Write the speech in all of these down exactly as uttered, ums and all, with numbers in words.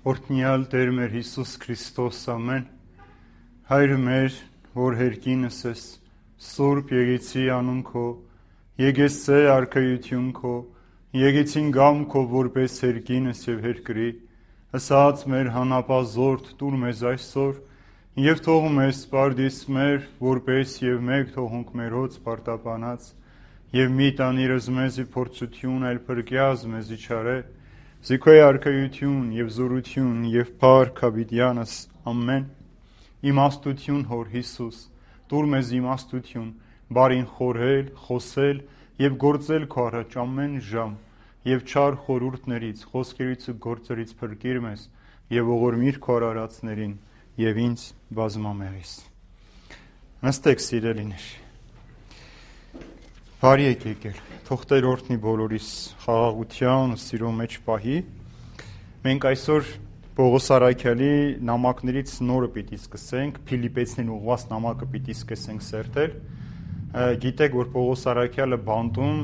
Օրհնյալ Տեր մեր Հիսուս Քրիստոս, ամեն, Հայր մեր, որ հերկինս ես, Սուրբ եկեցի անուն քո, եկես ցե արքայություն քո, եկեցին գամ քո որպես հերկինս եւ հերկրի, ասած մեր հանապազորդ տուր մեզ այսօր, եւ թող մեզ սպարդիս մեր, որպես եւ մեկ թողունք մերոց պարտապանած, եւ մի տանիրս մեզի փորձություն, այլ փրկյազ մեզի չարե, Զիքոյ արքայություն եւ զորություն եւ փառք հավիտյանս, ամեն, իմաստություն հոր Հիսուս, տուր մեզ իմաստություն, բարին խորհել, խոսել եւ գործել քո առաջ ամեն ժամ, եւ չար խորհուրդներից, խոսքերից ու գործերից փրկիր մեզ եւ ողորմիր քո արարածներին եւ ինձ բազմամեղիս։ Նստեք սիրելիներ։ Բարի եք եկել, թող Տեր օրհնի բոլորիս խաղաղության ու սիրո մեջ պահի։ Մենք այսօր Պողոս Արաքյալի նամակներից նորը պիտի սկսենք, Փիլիպեցիներին ուղղված նամակը պիտի սկսենք սերտել։ Գիտեք, որ Պողոս Արաքյալը բանտում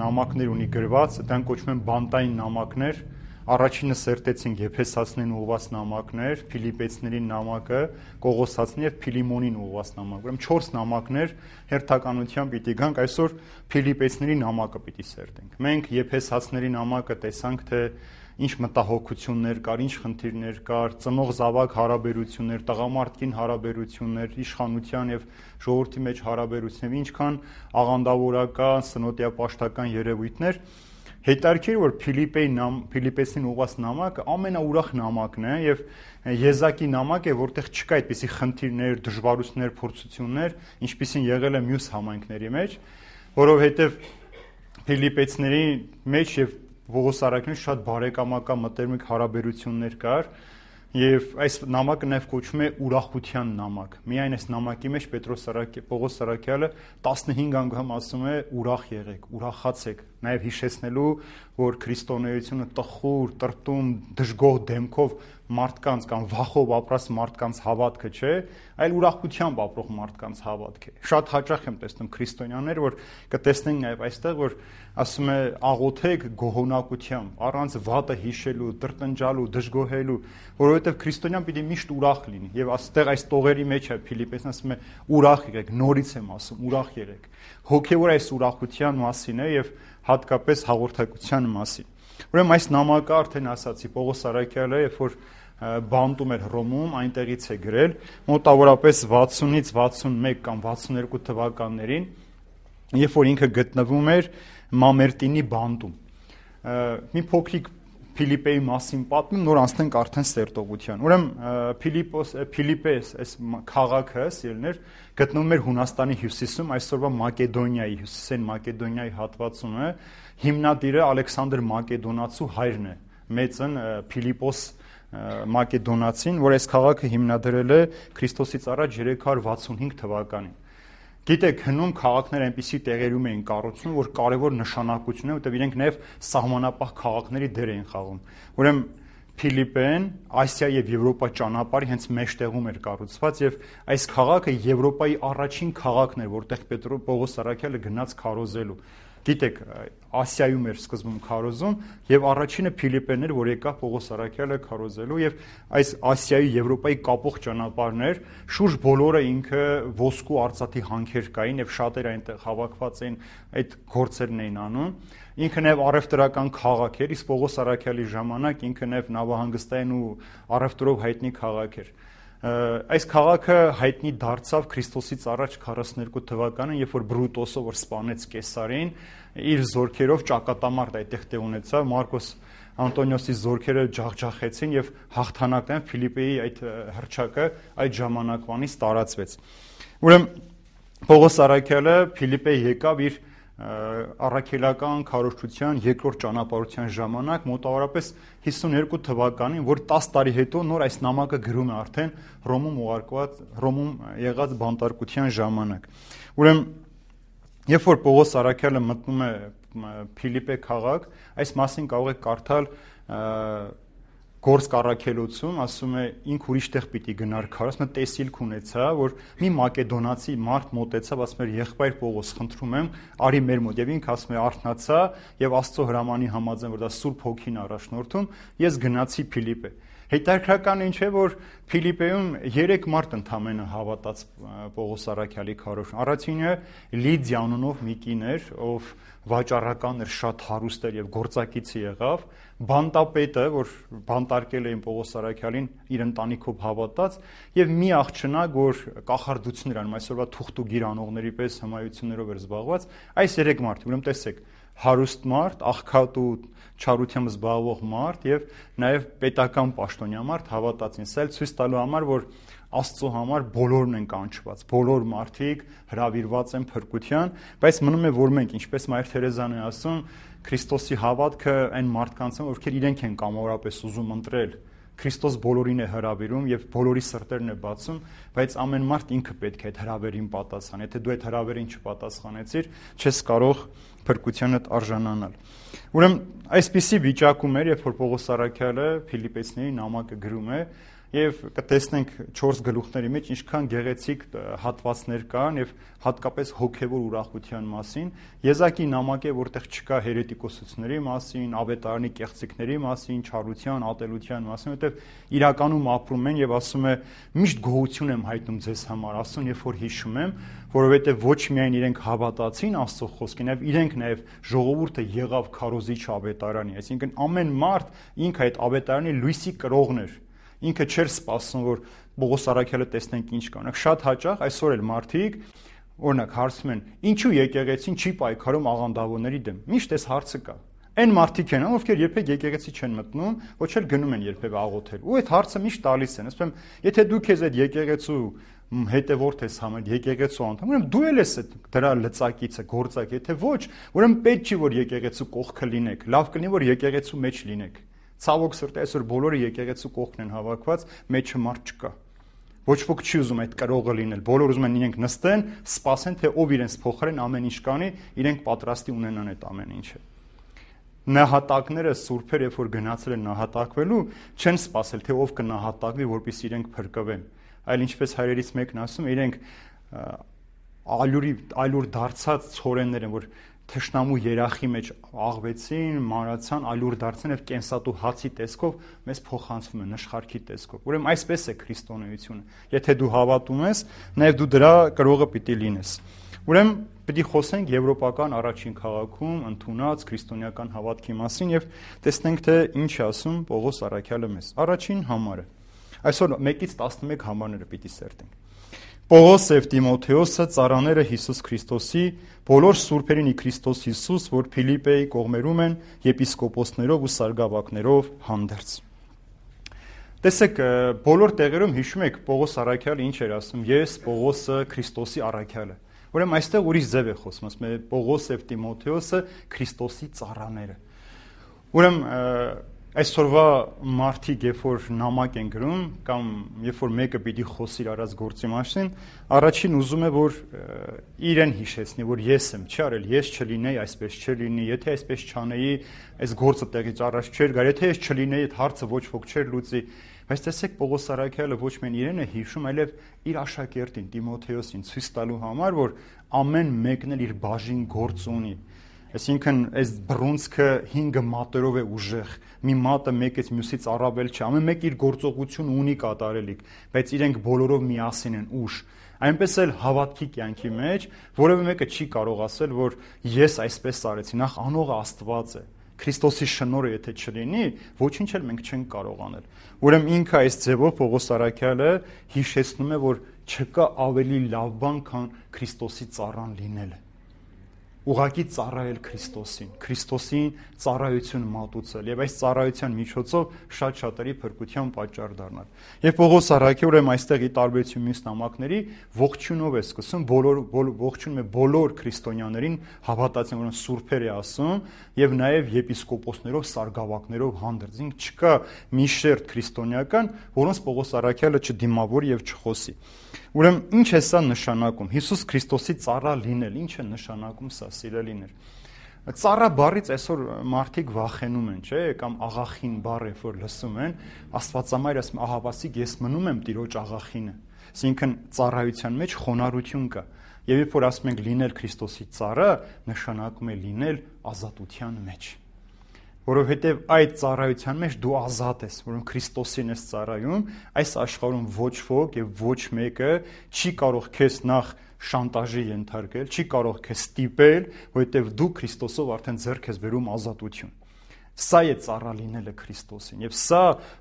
նամակներ ունի գրված, դրանք կոչվում են բանտային նամակներ։ Առաջինը սերտեցինք Եփեսացիներին ուղղված նամակներ, Փիլիպեցիներին նամակը, Կողոսացին եւ Փիլիմոնին ուղղված նամակ։ Ուրեմն չորս նամակներ հերթականությամբ պիտի գանք, այսօր Փիլիպեցիների նամակը պիտի սերտենք։ Մենք Եփեսացիների նամակը տեսանք, թե ինչ մտահոգություններ կար, ինչ խնդիրներ կար, ծնող զավակ հարաբերություններ, տղամարդկին հարաբերություններ, իշխանության եւ ժողովրդի մեջ հարաբերություններ, ինչքան աղանդավորական, սնոտիապաշտական երևույթներ։ Հետարքիր, որ Փիլիպեի նամ, Փիլիպեցին ուղղված նամակը ամենաուրախ նամակն է եւ եզակի նամակ է, որտեղ չկա այդպիսի խնդիրներ, դժվարություններ, փորձություններ, ինչպիսին եղել է մյուս համայնքների մեջ, որովհետեւ Փիլիպեցիների մեջ եւ Պողոս Արաքյալի շատ բարեկամական մտերմիկ հարաբերություններ կար եւ այս նամակը նաեւ կոչվում է ուրախության նամակ։ Միայն այս նամակի մեջ Պետրոս Արաքյալը, Պողոս Արաքյալը տասնհինգ անգամ ասում է ուրախ եղեք, ուրախացեք, նաեւ հիշեցնելու, որ քրիստոնեությունը տխուր, տրտում, դժգոհ դեմքով մարդկանց կամ վախով ապրած մարդկանց հավատքը չէ, այլ ուրախությամբ ապրող մարդկանց հավատք է։ Շատ հաճախ եմ տեսնում քրիստոնյաներ, որ կտեսնենք նաեւ այստեղ, որ ասում է աղոթեք գոհունակությամբ, առանց վատը հիշելու, տրտնջալու, դժգոհելու, որովհետեւ քրիստոնյան պիտի միշտ ուրախ լինի։ Եվ այստեղ այս տողերի մեջ է Փիլիպեցին ասում է ուրախ եղեք, նորից եմ ասում, ուրախ եղեք։ Հոգեոր այս ուրախության մասին է եւ հատկապես հաղորդակցության մասին։ Ուրեմն այս նամակը արդեն ասացի Պողոս Արաքյալը, երբ որ բանտում էր Հռոմում, այնտեղից է գրել, մոտավորապես վաթսունից վաթսունմեկ կամ վաթսուներկու թվականներին, երբ որ ինքը գտնվում էր Մամերտինի բանտում։ Մի փոքրիկ Փիլիպեի մասին պատմում, նոր անցնենք արդեն սերտողության։ Ուրեմն Փիլիպոս Փիլիպես այս քաղաքը, սիրելիներ, գտնվում էր Հունաստանի հյուսիսում, այսօրվա Մակեդոնիայի, հյուսիսային Մակեդոնիայի հատվածում է։ Հիմնադիրը Ալեքսանդր Մակեդոնացու հայրն է, մեծն Փիլիպոս Մակեդոնացին, որ այս քաղաքը հիմնադրել է Քրիստոսից առաջ երեք հարյուր վաթսունհինգ թվականին։ Գիտեք, հնում քաղաքներ այնպիսի տեղերում էին կառուցվում, որ կարևոր նշանակություն է, որտեղ իրենք նաև սահմանապահ քաղաքների դեր էին խաղում։ Ուրեմն Փիլիպեն Ասիա եւ Եվրոպա ճանապարհի հենց մեջտեղում էր կառուցված եւ այս քաղաքը Եվրոպայի առաջին քաղաքն էր, որտեղ Պետրոս Պողոս Արաքյալը գնաց քարոզելու։ Գիտեք, Ասիայում էր սկզբում քարոզում եւ առաջինը Փիլիպեն էր, որ եկավ Պողոս Արաքյալը քարոզելու եւ այս Ասիայի Եվրոպայի կապող ճանապարհներ, շուրջ բոլորը ինքը ոսկու արծաթի հանքեր կային եւ շատեր այնտեղ հավաքված էին, այդ գործերն էին անում։ Ինքը նաեւ առևտրական քաղաք էր, իսկ Պողոս Արաքյալի ժամանակ ինքը նաեւ նավահանգստային ու առևտրով հայտնի քաղաք էր։ Այս քաղաքը հայտնի դարձավ Քրիստոսից առաջ քառասուներկու թվականին, երբ որ Բրուտոսը, որ սպանեց Կեսարին, իր զորքերով ճակատամարտ այդտեղ տեղ ունեցավ, Մարկոս Անտոնիոսի զորքերը ջախջախեցին եւ հաղթանակն Ֆիլիպեի այդ հռչակը այդ ժամանակվանից տարածվեց։ Ուրեմն Պողոս Արաքյալը Ֆիլիպե եկավ իր առաքելական քարոզչության երկրորդ ճանապարհության ժամանակ, մոտավորապես հիսուներկու թվականին, որ տասը տարի հետո նոր այս նամակը գրում է արդեն Հռոմում ուղարկված, Հռոմում եղած բանտարկության ժամանակ։ Ուրեմն երբ որ Պողոս Արաքյալը մտնում է Ֆիլիպե քաղաք, այս մասին կարող եք կարդալ Գործք առաքելոցում, ասում է ինք ուրիշ տեղ պիտի գնար քար, ասում է տեսիլք ունեցա, որ մի մակեդոնացի մարդ մոտեցավ, ասում էր եղբայր Պողոս, խնդրում եմ, արի մեր մոտ, եւ ինքը ասում է արթնացա եւ Աստծո հրամանի համաձայն, որ դա Սուրբ Հոգին առաջնորդում, ես գնացի Ֆիլիպե։ Հետաքրքրական ինչ է, որ Փիլիպպեում երեք մարդ ընդամենը հավատաց Պողոս Արաքյալի քարոզին։ Առաջինը Լիդիա անունով մի կին էր, ով վաճառական էր, շատ հարուստ էր եւ գործակիցի եղավ։ Բանտապետը, որ բանտարկել էին Պողոս Արաքյալին, իր ընտանիքով հավատաց, եւ մի աղջնակ, որ կախարդություններ անում, այսօրվա թուղթուգիր անողների պես հմայություններով էր զբաղված, այս երեք մարդ, ուրեմն տեսեք, հարուստ մարդ, աղքատ ու չարությամբ զբաղվող մարդ եւ նաեւ պետական պաշտոնյա մարդ հավատացին։ Սա էլ ցույց տալու համար, որ Աստծո համար բոլորն են կանչված, բոլոր մարդիկ հրավիրված են փրկության, բայց մնում է, որ մենք, ինչպես Մայր Թերեզան է ասում, Քրիստոսի հավատքը այն մարդկանց են, ովքեր իրենք են կամավորապես ուզում ընտրել։ Քրիստոս բոլորին է հրավիրում եւ բոլորի սրտերն է բացում, բայց ամեն մարդ ինքը պետք է այդ հրավերին պատասխան։ Եթե դու այդ հրավերին չպատասխանեցիր, չես կարող փրկությանդ արժանանալ։ Ուրեմն այսպիսի վիճակում էր, երբ որ Պողոս Արաքյալը Փիլիպպեցիների նամակը գրում է, եւ կտեսնենք չորս գլուխների մեջ ինչքան գեղեցիկ հատվածներ կան եւ հատկապես հոգեվոր ուրախության մասին։ Եզակի նամակ է, որտեղ չկա հերետիկոսությունների մասին, ավետարանի կեղծիքների մասին, չարության, ատելության մասին, որտեղ իրականում ապրում են եւ ասում է միշտ գոհություն եմ հայտնում ձեզ համար, ասում երբ որ հիշում եմ, որովհետեւ ոչ միայն իրենք հավատացին Աստծո խոսքին, այլ իրենք նաեւ ժողովուրդը եղավ քարոզիչ ավետարանի, այսինքն ամեն մարդ ինքը այդ ավետարանի լույսի կրողն էր։ Ինքը չէր սպասում, որ Պողոս Արաքյալը տեսնենք ինչ կա։ Շատ հաճախ այսօր էլ մարդիկ օրինակ հարցում են, ինչու եկեղեցին չի պայքարում աղանդավորների դեմ։ Միշտ այս հարցը կա։ Այն մարդիկ են, ովքեր երբեք եկեղեցի չեն մտնում, ոչ էլ գնում են երբեք աղոթել։ Ու այդ հարցը միշտ տալիս են։ Ասում եմ, եթե դու քեզ այդ եկեղեցու հետևորդ ես համարում, եկեղեցու անդամ, ուրեմն դու էլ ես դրա լծակիցը, գործակ, եթե ոչ, ուրեմն պետք չի որ եկեղեցու կողքը լինեք։ Լավ կլինի որ եկեղեցու մեջ լինեք։ Ցավոք սրտի այսօր բոլորը եկեղեցու կողքն են հավաքված, մեջը մարդ չկա։ Ոչ ոք չի ուզում այդ կրողը լինել։ Բոլորը ուզում են իրենք նստեն, սպասեն, թե ով իրենց փոխարեն ամեն ինչ կանի, իրենք պատրաստի ունենան այդ ամեն ինչը։ Նահատակները սուրբեր, երբ որ գնացել են նահատակվելու, չեն սպասել, թե ով կնահատակվի, որպեսզի իրենք փրկվեն։ Այլ ինչպես հայրերից մեկն ասում, իրենք ալյուրի ալյուր դարձած ցորեններ են, որ թշնամու երախի մեջ աղվեցին, մանրացան, ալյուր դարձան եւ կենսատու հացի տեսքով մեզ փոխանցվում են նշխարքի տեսքով։ Ուրեմն այսպես է քրիստոնեությունը։ Եթե դու հավատում ես, նաեւ դու դրա կրողը պիտի լինես։ Ուրեմն պիտի խոսենք եվրոպական առաջին քաղաքում ընդունած քրիստոնեական հավատքի մասին եւ տեսնենք թե ինչ է ասում Պողոս Արաքյալը մեզ։ Առաջին համարը։ Այսօր մեկից տասնմեկ համարները պիտի սերտենք։ Պողոս եւ Տիմոթեոսը ծառաները Հիսուս Քրիստոսի բոլոր սուրբերին ի Քրիստոս Հիսուս, որ Փիլիպպեի կողմերում են եպիսկոպոսներով ու սարգսակներով հանդերձ։ Տեսեք, բոլոր տեղերում հիշում եք Պողոս Արաքյալը ինչ էր ասում. Ես Պողոսը Քրիստոսի Արաքյալը։ Ուրեմն այստեղ ուրիշ ձև է խոսում, ասում է Պողոս եւ Տիմոթեոսը Քրիստոսի ծառաները։ Ուրեմն այսօրվա մարդիկ, երբ որ նամակ են գրում կամ երբ որ մեկը պիտի խոսի իր արած գործի մասին, առաջին ուզում է որ իրեն հիշեցնի, որ ես եմ, չի արել, ես չլինեի, այսպես չլինի, եթե այսպես չանեի, այս գործը տեղից առաջ չէր գար, եթե ես չլինեի, այդ հարցը ոչ ոք չէր լուծի։ Բայց տեսեք Պողոս Արաքյալը ոչ միայն իրեն է հիշում, այլև իր աշակերտին Տիմոթեոսին ցույց տալու համար, որ ամեն մեկն էլ իր բաժին գործ ունի։ Այսինքն այս բռունցքը հինգը մատերով է ուժեղ, մի մատը մեկից մյուսից առավել չէ, ամեն մեկ իր գործողություն ունի կատարելիք, բայց իրենք բոլորով միասին են ուժ։ Այնպես էլ հավատքի կյանքի մեջ որևէ մեկը չի կարող ասել, որ ես այսպես արեցի, նախ անողը Աստված է։ Քրիստոսի շնորհը եթե չլինի, ոչինչ էլ մենք չենք կարող անել։ Ուրեմն ինքը այս ձևով Պողոս Արաքյալը հիշեցնում է, որ չկա ավելի լավ բան, քան Քրիստոսի ծառան լինելը։ Ուղղակի ծառայել Քրիստոսին, Քրիստոսին ծառայություն մատուցել եւ այս ծառայության միջոցով շատ շատերի փրկության պատճառ դառնալ։ Եվ Պողոս Արաքյալը ուրեմն այստեղ ի տարբերություն մյուս նամակների ողջունով է սկսում, բոլոր ողջունում է բոլոր քրիստոնյաներին, հավատացին, որոնց սուրբեր է ասում, եւ նաեւ եպիսկոպոսներով, սարգսակներով հանդերձ։ Ինք չկա մի շերտ քրիստոնեական, որոնց Պողոս Արաքյալը չդիմավորի եւ չխոսի։ Ուրեմն ինչ է սա նշանակում։ Հիսուս Քրիստոսի ծառա լինել, ինչ է նշանակում սա, սիրելիներ։ Ծառա բառից այսօր մարդիկ վախենում են, չէ՞, կամ աղախին բառը որ լսում են, Աստվածամայրը ասում ահավասիկ ես մնում եմ Տիրոջ աղախինը։ Այսինքն ծառայության մեջ խոնարհություն կա։ Եվ երբ որ ասում ենք լինել Քրիստոսի ծառա, նշանակում է լինել ազատության մեջ։ որովհետև այդ ծառայության մեջ դու ազատ ես, որում Քրիստոսին ես ծառայում, այս աշխարհում ոչ ոք եւ ոչ մեկը չի կարող քեզ նախ շանտաժի ենթարկել, չի կարող քեզ ստիպել, որովհետև դու Քրիստոսով արդեն ձեռք ես բերում ազատություն։ Սա է ծառա լինելը Քրիստոսին, եւ սա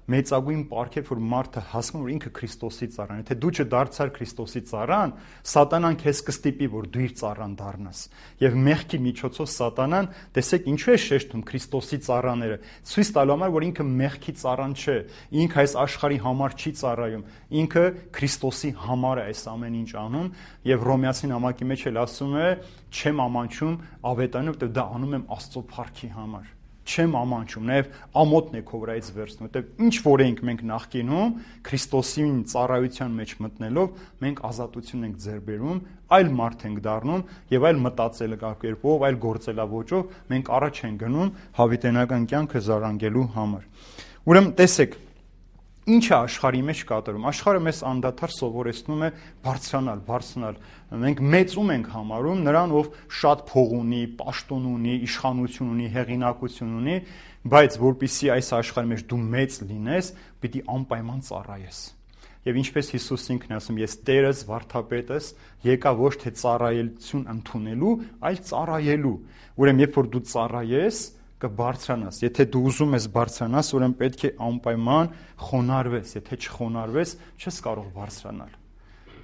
մեծագույն պարգև, որ մարդը հասնում, որ ինքը Քրիստոսի ծառան է։ Եթե դու չդարձար Քրիստոսի ծառան, սատանան քեզ կստիպի, որ դու իր ծառան դառնաս։ Եվ մեղքի միջոցով սատանան, տեսեք, ինչու է շեշտում Քրիստոսի ծառաները, ցույց տալու համար, որ ինքը մեղքի ծառան չէ, ինքը այս աշխարհի համար չի ծառայում, ինքը Քրիստոսի համար է այս ամեն ինչ անում, եւ Հռոմեացի նամակի մեջ էլ ասում է, չեմ ամանչում ավետարանը, որտեղ դա անում եմ Աստծո փառքի համար։ Չեմ ամանչում, նաև ամոթն է քո վրայից վերցնում, որտեղ ինչ որ ենք մենք նախկինում Քրիստոսին ծառայության մեջ մտնելով, մենք ազատություն ենք ձեռք բերում, այլ մարդ ենք դառնում եւ այլ մտածելակերպով, այլ գործելավոճով մենք առաջ ենք գնում հավիտենական կյանքը զարգանալու համար։ Ուրեմն տեսեք, ինչ է աշխարհի մեջ կատարում։ Աշխարհը մեզ անդադար սովորեցնում է բարձրանալ, բարձրանալ։ Մենք մեծում ենք համարում նրան, ով շատ փող ունի, պաշտոն ունի, իշխանություն ունի, հեղինակություն ունի, բայց որpիսի այս աշխարհի մեջ դու մեծ լինես, պիտի անպայման ծառայես։ Եվ ինչպես Հիսուս ինքն ասում, ես Տերս, վարդապետս, եկա ոչ թե ծառայություն ընդունելու, այլ ծառայելու։ Ուրեմն երբ որ դու ծառայես, կբարձրանաս։ Եթե դու ուզում ես բարձրանաս, ուրեմն պետք է անպայման խոնարհվես, եթե չխոնարհվես, չես կարող բարձրանալ։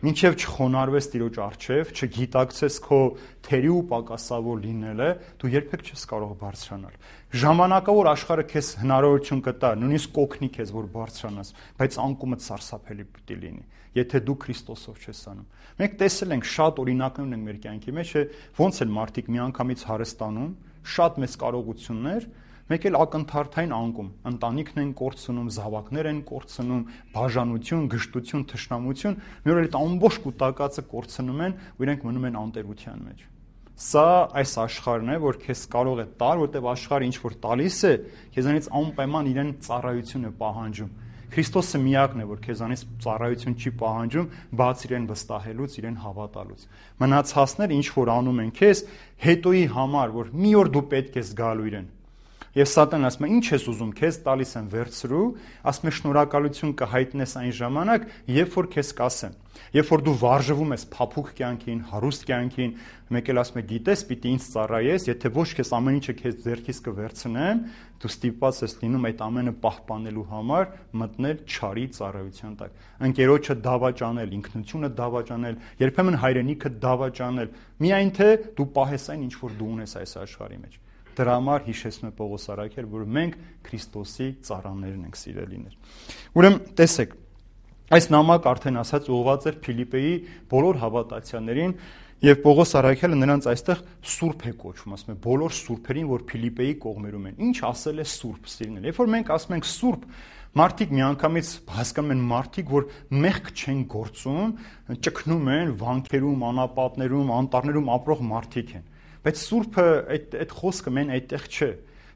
Մինչև չխոնարհվես Տիրոջ առջև, չգիտակցես քո թերի ու պակասավոր լինելը, դու երբեք չես կարող բարձրանալ։ Ժամանակավոր աշխարհը քեզ հնարավորություն կտա, նույնիսկ կօգնի քեզ, որ բարձրանաս, բայց անկումդ սարսափելի պիտի լինի, եթե դու Քրիստոսով չես անում։ Մենք տեսել ենք շատ օրինակներ ունենք մեր կյանքի մեջ, ոնց են մարդիկ միանգամից հարստանում, շատ մեծ կարողություններ, մեկ էլ ակնթարթային անկում, ընտանիքն են կորցնում, զավակներ են կորցնում, բաժանություն, գժտություն, թշնամություն, մի օր այդ ամբողջ կուտակածը կորցնում են, ու իրենք մնում են անտերության մեջ։ Սա այս աշխարհն է, որ քեզ կարող է տալ, որտեղ աշխարհը ինչ որ տալիս է, քեզանից անպայման իրեն ծառայություն է պահանջում։ Քրիստոսը միակն է, որ քեզանից ծառայություն չի պահանջում, բաց իրեն վստահելուց, իրեն հավատալուց։ Մնացածները ինչ որ անում են քեզ, հետոյի համար, որ մի օր դու պետք ես գալու իրեն։ Եվ Սատանան ասում է, ինչ ես ուզում, քեզ տալիս եմ վերցրու, ասում է շնորհակալություն կհայտնես այն ժամանակ, երբ որ քեզ կասեմ։ Երբ որ դու վարժվում ես փափուկ կյանքին, հարուստ կյանքին, մեկ էլ ասում է, գիտես, պիտի ինձ ծառայես, եթե ոչ քեզ ամեն ինչը քեզ ձեռքից կվերցնեմ, դու ստիպված ես լինում այդ ամենը պահպանելու համար մտնել չարի ծառայության տակ։ Ընկերոջը դավաճանել, ինքնությունը դավաճանել, երբեմն հայրենիքը դավաճանել, միայն թե դու պահես այն, ինչ որ դու ունես այս աշխարհի մեջ։ Դրա համար հիշեցնում է Պողոս առաքյալ, որ մենք Քրիստոսի ծառաներն ենք, սիրելիներ։ Ուրեմն տեսեք, այս նամակը արդեն ասած ուղղված էր Փիլիպպեի բոլոր հավատացյալներին, եւ Պողոս առաքյալը նրանց այստեղ սուրբ է կոչվում, ասում է բոլոր սուրբերին, որ Փիլիպպեի կողմերում են։ Ինչ ասել է սուրբ, սիրելիներ։ Երբ որ մենք ասում ենք սուրբ, մարդիկ միանգամից հասկանում են մարդիկ, որ մեղք չեն գործում, ճգնում են վանքերում, անապատներում, անտառներում ապրող մարդիկ են։ Բայց սուրբը այդ այդ խոսքը մեն այդտեղ չէ։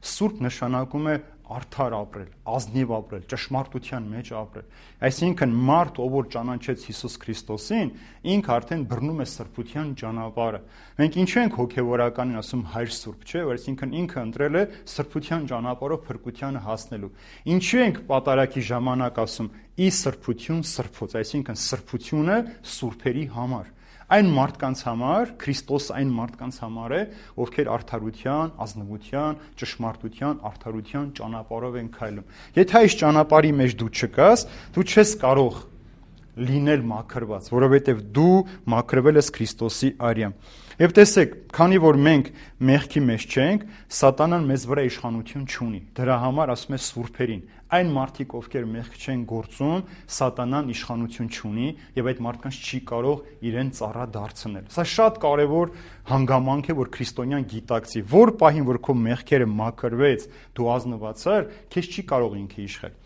Սուրբ նշանակում է արդար ապրել, ազնիվ ապրել, ճշմարտության մեջ ապրել։ Այսինքն մարդ, ով որ ճանաչեց Հիսուս Քրիստոսին, ինքը արդեն բռնում է սրբության ճանապարհը։ Մենք ինչու ենք հոգևորականին ասում հայր սուրբ, չէ՞, որ այսինքն ինքը ընտրել է սրբության ճանապարհով փրկությանը հասնելու։ Ինչու ենք պատարագի ժամանակ ասում՝ ի սրբություն սրբոց, այսինքն սրբությունը սուրբերի համար։ Այն մարդկանց համար, Քրիստոս այն մարդկանց համար է, ովքեր արդարության, ազնվության, ճշմարտության, արդարության ճանապարհով են քայլում։ Եթե այս ճանապարհի մեջ դու չկաս, դու չես կարող լինել մաքրված, որովհետև դու մաքրվել ես Քրիստոսի արյամբ։ Եվ տեսեք, քանի որ մենք մեղքի մեջ չենք, Սատանան մեզ վրա իշխանություն չունի։ Դրա համար ասում է սուրբերին, այն մարդիկ, ովքեր մեղք չեն գործում, Սատանան իշխանություն չունի եւ այդ մարդկանց չի կարող իրեն ծառա դարձնել։ Սա շատ կարեւոր հանգամանք է, որ քրիստոնյան գիտակցի, որ պահին որ քո մեղքերը մաքրվեց, դու ազնված ես, քեզ չի կարող ինքը իշխել։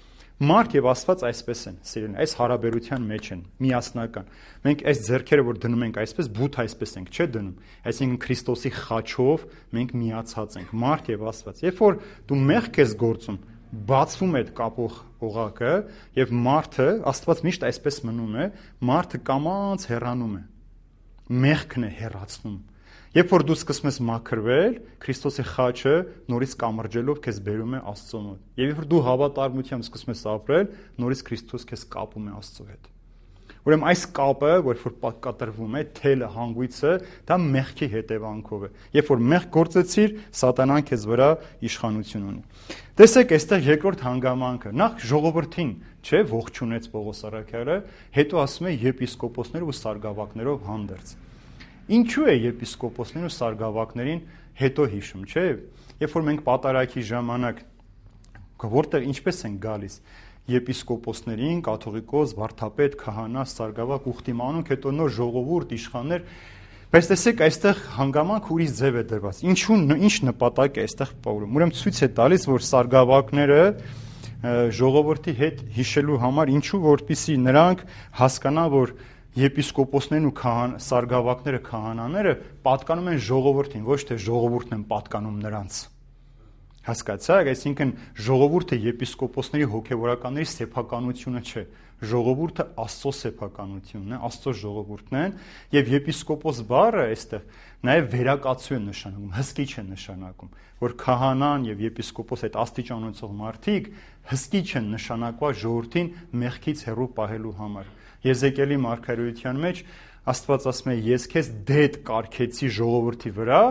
Մարդ եւ Աստված այսպես են, սիրելին, այս հարաբերության մեջ են, միասնական։ Մենք այս ձեռքերը, որ դնում ենք այսպես, բութ այսպես ենք, չէ՞ դնում։ Այսինքն Քրիստոսի խաչով մենք միացած ենք, մարդ եւ Աստված։ Երբ որ դու մեղք ես գործում, բացվում է այդ կապող օղակը եւ մարդը, Աստված միշտ այսպես մնում է, մարդը կամաց հեռանում է։ Մեղքն է հեռացնում։ Երբ որ դու սկսում ես մաքրվել, Քրիստոսի խաչը նորից կամրջելով քեզ բերում է Աստծո մոտ։ Եվ երբ որ դու հավատարմությամբ սկսում ես ապրել, նորից Քրիստոս քեզ կապում է Աստծո հետ։ Ուրեմն այս կապը, որ որ կատրվում է, թելը, հանգույցը, դա մեղքի հետևանքով է։ Երբ որ մեղք գործեցիր, սատանան քեզ վրա իշխանություն ունի։ Տեսեք, այստեղ երկրորդ հանգամանքը, նախ ժողովրդին, չէ, ողջունեց Պողոս առաքյալը, հետո ասում է եպիսկոպոսներով ու սարգսակներով հանդերձ։ Ինչու է եպիսկոպոսներին ու սարգսակներին հետո հիշում, չէ՞։ Երբ որ մենք պատարագի ժամանակ որտեղ ինչպես են գալիս եպիսկոպոսներին, կաթողիկոս, վարդապետ, քահանա, սարգսակ, ուխտիմանուկ, հետո նոր ժողովուրդ, իշխաններ, բայց տեսեք, այստեղ հանգամանք ուրիշ ձև է դրված։ Ինչու ինչ նպատակ է այստեղ Պողոսը։ Ուրեմն ցույց է տալիս, որ սարգսակները ժողովրդի հետ հիշելու համար ինչու, որպեսզի նրանք հասկանան, որ եպիսկոպոսներն ու սարգսակները, քահանաները պատկանում են ժողովրդին, ոչ թե ժողովուրդն են պատկանում նրանց։ Հասկացա՞ք, այսինքն ժողովուրդը եպիսկոպոսների հոգևորականների սեփականությունը չէ, ժողովուրդը Աստծո սեփականությունն է, Աստծո ժողովուրդն են, եւ եպիսկոպոս բառը այստեղ նաեւ վերակացու է նշանակում, հսկիչ է նշանակում, որ քահանան եւ եպիսկոպոս այդ աստիճանոցող մարդիկ հսկիչ են նշանակված ժողովրդին մեղքից հեռու պահելու համար։ Եզեկիելի մարգարեության մեջ Աստված ասում է. ես քեզ դետ կարգեցի ժողովրդի վրա,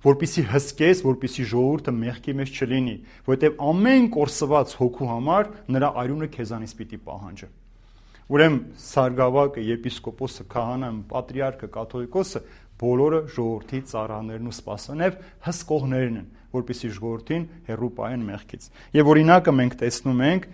որպեսզի հսկես, որպեսզի ժողովուրդը մեղքի մեջ չլինի, որովհետև ամեն կորսված հոգու համար նրա արյունը քեզանից պիտի պահանջի։ Ուրեմն սարգսակը, եպիսկոպոսը, քահանան, պատրիարքը, կաթողիկոսը բոլորը ժողովրդի ծառաներն ու սպասանև հսկողներն են, որպեսզի ժողովրդին հեռու պահեն մեղքից։ Եվ օրինակը մենք տեսնում ենք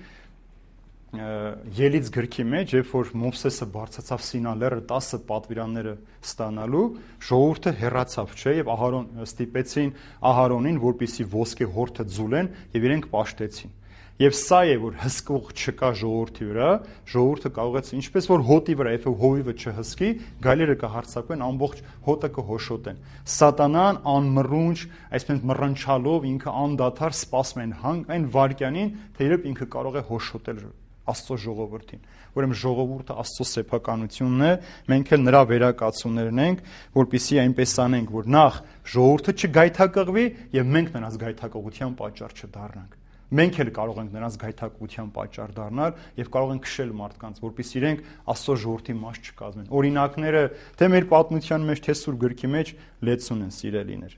Ելից գրքի մեջ, երբ որ Մովսեսը բարձրացավ Սինա լեռը տասը պատվիրանները ստանալու, ժողովուրդը հեռացավ, չէ, եւ Ահարոն ստիպեցին Ահարոնին, որպեսզի ոսկե հորթը ձուլեն եւ իրենք պաշտեցին։ Եվ սա է, որ հսկող չկա ժողովրդի վրա, ժողովուրդը կարող է, ինչպես որ հոտի վրա, երբ հովիվը չհսկի, գայլերը կհարձակվեն, ամբողջ հոտը կհոշոտեն։ Սատանան անմռունչ, այսպես մռնչալով ինքը անդադար սպասում են այն վարքյանին, թե երբ ինքը կարող է հոշոտել Աստծո ժողովրդին։ Ուրեմն ժողովուրդը Աստծո սեփականությունն է, մենք էլ նրա վերակացուներն ենք, որպեսզի այնպես անենք, որ նախ ժողովուրդը չգայթակղվի եւ մենք նրանց գայթակղության պատճառ չդառնանք։ Մենք էլ կարող ենք նրանց գայթակղության պատճառ դառնալ եւ կարող ենք քշել մարդկանց, որպեսզի իրենք Աստծո ժողովրդի մաս չկազմեն։ Օրինակները թե մեր պատմության մեջ, թե Սուրբ գրքի մեջ լեցուն են, սիրելիներ։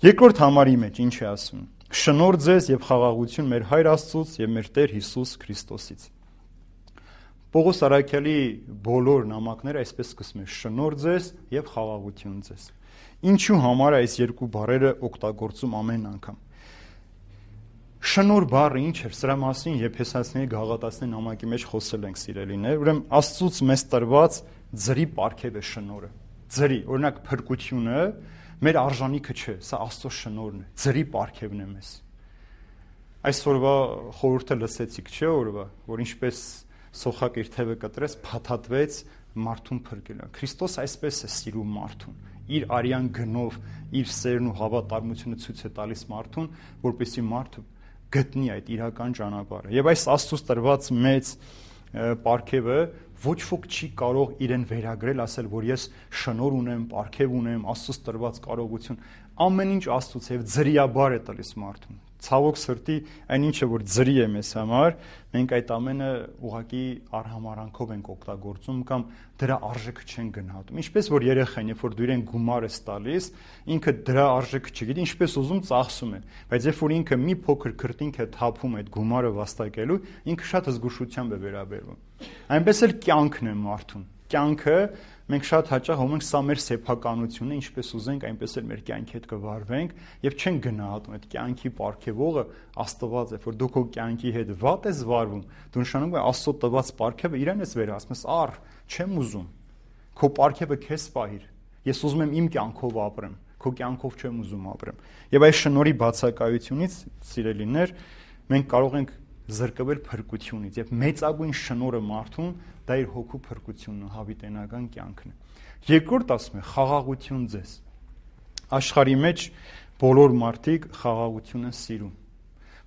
Երկրորդ համարի մեջ ինչ է ասում։ Շնորհ ձեզ եւ խաղաղություն մեր Հայր Աստծուց եւ մեր Տեր Հիսուս Քրիստոսից։ Պողոս առաքյալի բոլոր նամակները այսպես սկսում են. շնորհ ձեզ եւ խաղաղություն ձեզ։ Ինչու համար է այս երկու բառերը օգտագործում ամեն անգամ։ Շնորհ բառը ինչ էր, սրա մասին Եփեսացիների Գաղատացիների նամակի մեջ խոսել ենք, սիրելիներ։ Ուրեմն Աստծուց մեզ տրված ձրի պարգև է շնորհը։ Ձրի, օրինակ փրկությունը մեր արժանիքը չէ, սա Աստծո շնորհն է, ձրի պարգևն է մեզ։ Այսօրվա խորհուրդը լսեցիք, չէ՞ օրվա, որ ինչպես սոխակ իր թևը կտրեց, փաթաթվեց մարդուն փրկելը։ Քրիստոս այսպես է սիրում մարդուն, իր արյան գնով, իր սերն ու հավատարմությունը ցույց է տալիս մարդուն, որպեսզի մարդը գտնի այդ իրական ճանապարհը։ Եվ այս Աստծուց տրված մեծ պարգևը ոչ ոք չի կարող իրեն վերագրել, ասել, որ ես շնորհ ունեմ, պարգև ունեմ, Աստծուց տրված կարողություն, ամեն ինչ Աստծուց է եւ ձրիաբար է տալիս մարդուն։ Ցավոք սրտի, այնինչը որ ձրի է մեզ համար, մենք այդ ամենը ուղղակի արհամարանքով ենք օգտագործում կամ դրա արժեքը չեն գնահատում։ Ինչպես որ երեխան, երբ որ դու իրեն գումար ես տալիս, ինքը դրա արժեքը չգիտի, ինչպես ուզում ծախսում է, բայց երբ որ ինքը մի փոքր քրտինք է թափում այդ գումարը վաստակելու, ինքը շատ զգուշությամբ է վերաբերվում։ Այնպես էլ կյանքն է մարդուն։ Կյանքը մենք շատ հաճախ հոմ ենք, սա մեր սեփականությունն է, ինչպես ուզենք, այնպես էլ մեր կյանքի հետ կվարվենք եւ չեն գնահատում այդ կյանքի պարգևողը Աստված է, որ դու քո կյանքի հետ վատ ես վարվում, դու նշանակում է Աստծո տված պարգևը իրեն ես վերահասում, առ չեմ ուզում, քո պարգևը քեզ պահիր, ես ուզում եմ իմ կյանքով ապրեմ, քո կյանքով չեմ ուզում ապրեմ։ Եվ այս շնորհի բացակայությունից, սիրելիներ, մենք կարող ենք զրկվել փրկությունից եւ մեծագույն շնորհը մարդուն դա իր հոգու փրկությունն ու հավիտենական կյանքն է։ Երկրորդ ասում է խաղաղություն ձեզ։ Աշխարհի մեջ բոլոր մարդիկ խաղաղություն են սիրում,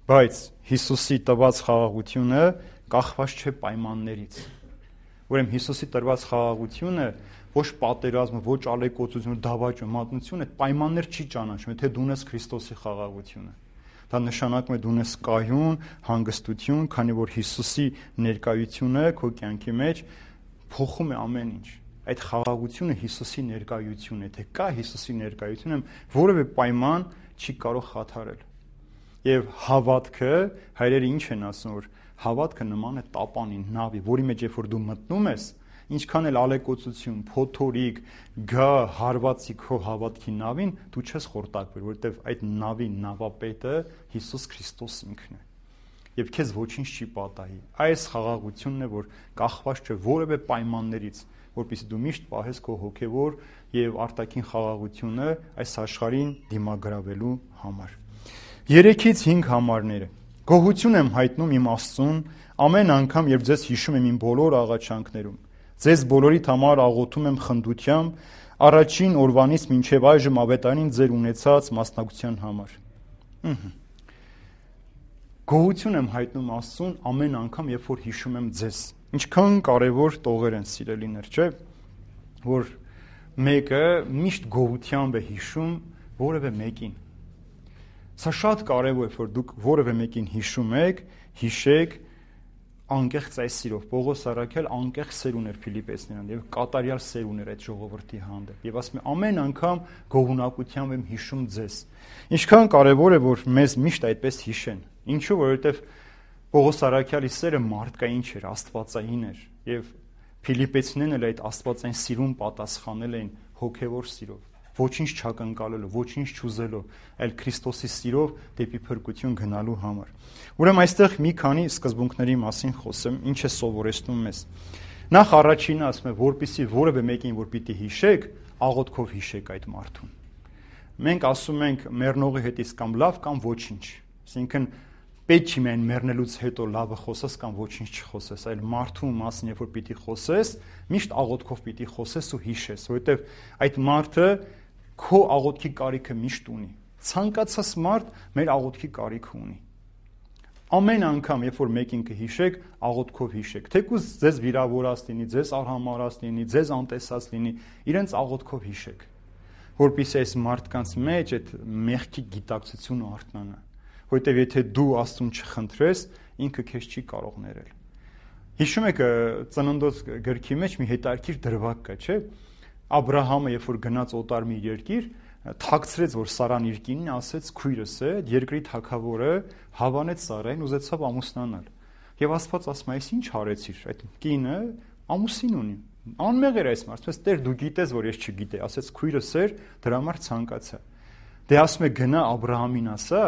բայց Հիսուսի տված խաղաղությունը կախված չէ պայմաններից։ Ուրեմն Հիսուսի տրված խաղաղությունը ոչ պատերազմը, ոչ ալեկոծությունը, դավաճը, մատնությունը այդ պայմաններ չի ճանաչում, եթե դու ունես Քրիստոսի խաղաղությունը։ Դա նշանակում է դու ունես կայուն, հանգստություն, քանի որ Հիսուսի ներկայությունը քո կյանքի մեջ փոխում է ամեն ինչ։ Այդ խաղաղությունը Հիսուսի ներկայությունն է, թե կա Հիսուսի ներկայությունը, որևէ պայման չի կարող խաթարել։ Եվ հավատքը, հայրերը ինչ են ասում, որ հավատքը նման է տապանին, նավի, որի մեջ երբ որ դու մտնում ես, ինչքան էլ ալեկոծություն, փոթորիկ, գա հարվածի քո հավատքի նավին, դու չես խորտակվել, որովհետև այդ նավի նավապետը Հիսուս Քրիստոս ինքն է։ Եվ քեզ ոչինչ չի պատահի։ Այս խաղաղությունն է, որ կախված չէ որևէ պայմաններից, որպեսզի դու միշտ պահես քո հոգևոր եւ արտաքին խաղաղությունը այս աշխարհին դիմագրավելու համար։ Երեքից հինգ համարները։ Գոհություն եմ հայտնում իմ Աստծուն ամեն անգամ, երբ ձեզ հիշում եմ իմ բոլոր աղաչանքներում։ Ձեզ բոլորիդ համար աղոթում եմ խնդությամբ, առաջին օրվանից մինչև այժմ ավետարին ձեր ունեցած մասնակցության համար։ Գոհություն եմ հայտնում Աստծուն ամեն անգամ, երբ որ հիշում եմ ձեզ։ Ինչքան կարևոր տողեր են, սիրելիներ, չէ՞, որ մեկը միշտ գոհությամբ է հիշում որևէ մեկին։ Սա շատ կարևոր է, որ դուք որևէ մեկին հիշում եք, հիշեք անկեղծ այս սիրով։ Պողոս առաքյալ անկեղծ սեր ուներ Փիլիպպեցիներին եւ կատարյալ սեր ուներ այդ ժողովրդի հանդեպ։ Եվ ասում է ամեն անգամ գոհունակությամբ եմ հիշում ձեզ։ Ինչքան կարևոր է, որ մեզ միշտ այդպես հիշեն։ Ինչու՞, որովհետեւ Պողոս առաքյալի սերը մարդկային չէր, աստվածային էր, եւ Փիլիպպեցիներն էլ այդ աստվածային սիրուն պատասխանել էին հոգեվոր սիրով, ոչինչ չակնկալելով, ոչինչ չուզելով, այլ Քրիստոսի սիրով դեպի փրկություն գնալու համար։ Ուրեմն այստեղ մի քանի սկզբունքների մասին խոսեմ, ինչ է սովորեցնում մեզ։ Նախ առաջինը ասում է, որպեսզի որևէ մեկին որ պիտի հիշեք, աղոթքով հիշեք այդ մարդուն։ Մենք ասում ենք մեռնողի հետից կամ լավ կամ ոչինչ, այսինքն պետք չի միայն մեռնելուց հետո լավը խոսես կամ ոչինչ չխոսես, այլ մարդու մասին երբ որ պիտի խոսես, միշտ աղոթքով պիտի խոսես ու հիշես, որովհետև այդ մարդը քո աղոթքի կարիքը միշտ ունի։ Ցանկացած մարդ մեր աղոթքի կարիքը ունի։ Ամեն անգամ, երբ որ մեկին կհիշեք, աղոթքով հիշեք։ Թեկուզ ձեզ վիրավորած լինի, ձեզ արհամարած լինի, ձեզ անտեսած լինի, իրենց աղոթքով հիշեք, որպեսզի այս մարդկանց մեջ այդ մեղքի գիտակցությունը արթնանա։ Որովհետև եթե դու Աստծուն չխնդրես, ինքը քեզ չի կարող ներել։ Հիշում եք Ծննդոց գրքի մեջ մի հետաքրքիր դրվագ կա, չէ՞։ Աբրահամը, երբ որ գնաց օտար մի երկիր, թաքցրեց, որ Սարան իր կինն ասեց քույրս է, երկրի թագավորը հավանեց Սարային, ուզեցավ ամուսնանալ։ Եվ Աստված ասում է, այս ինչ արեցիր, այդ կինը ամուսին ունի։ Անմեղ էր այս մարդը, ասես Տեր դու գիտես, որ ես չգիտեի, ասեց քույրս էր, դրա համար ցանկացա։ Դե ասում է գնա Աբրահամին ասա,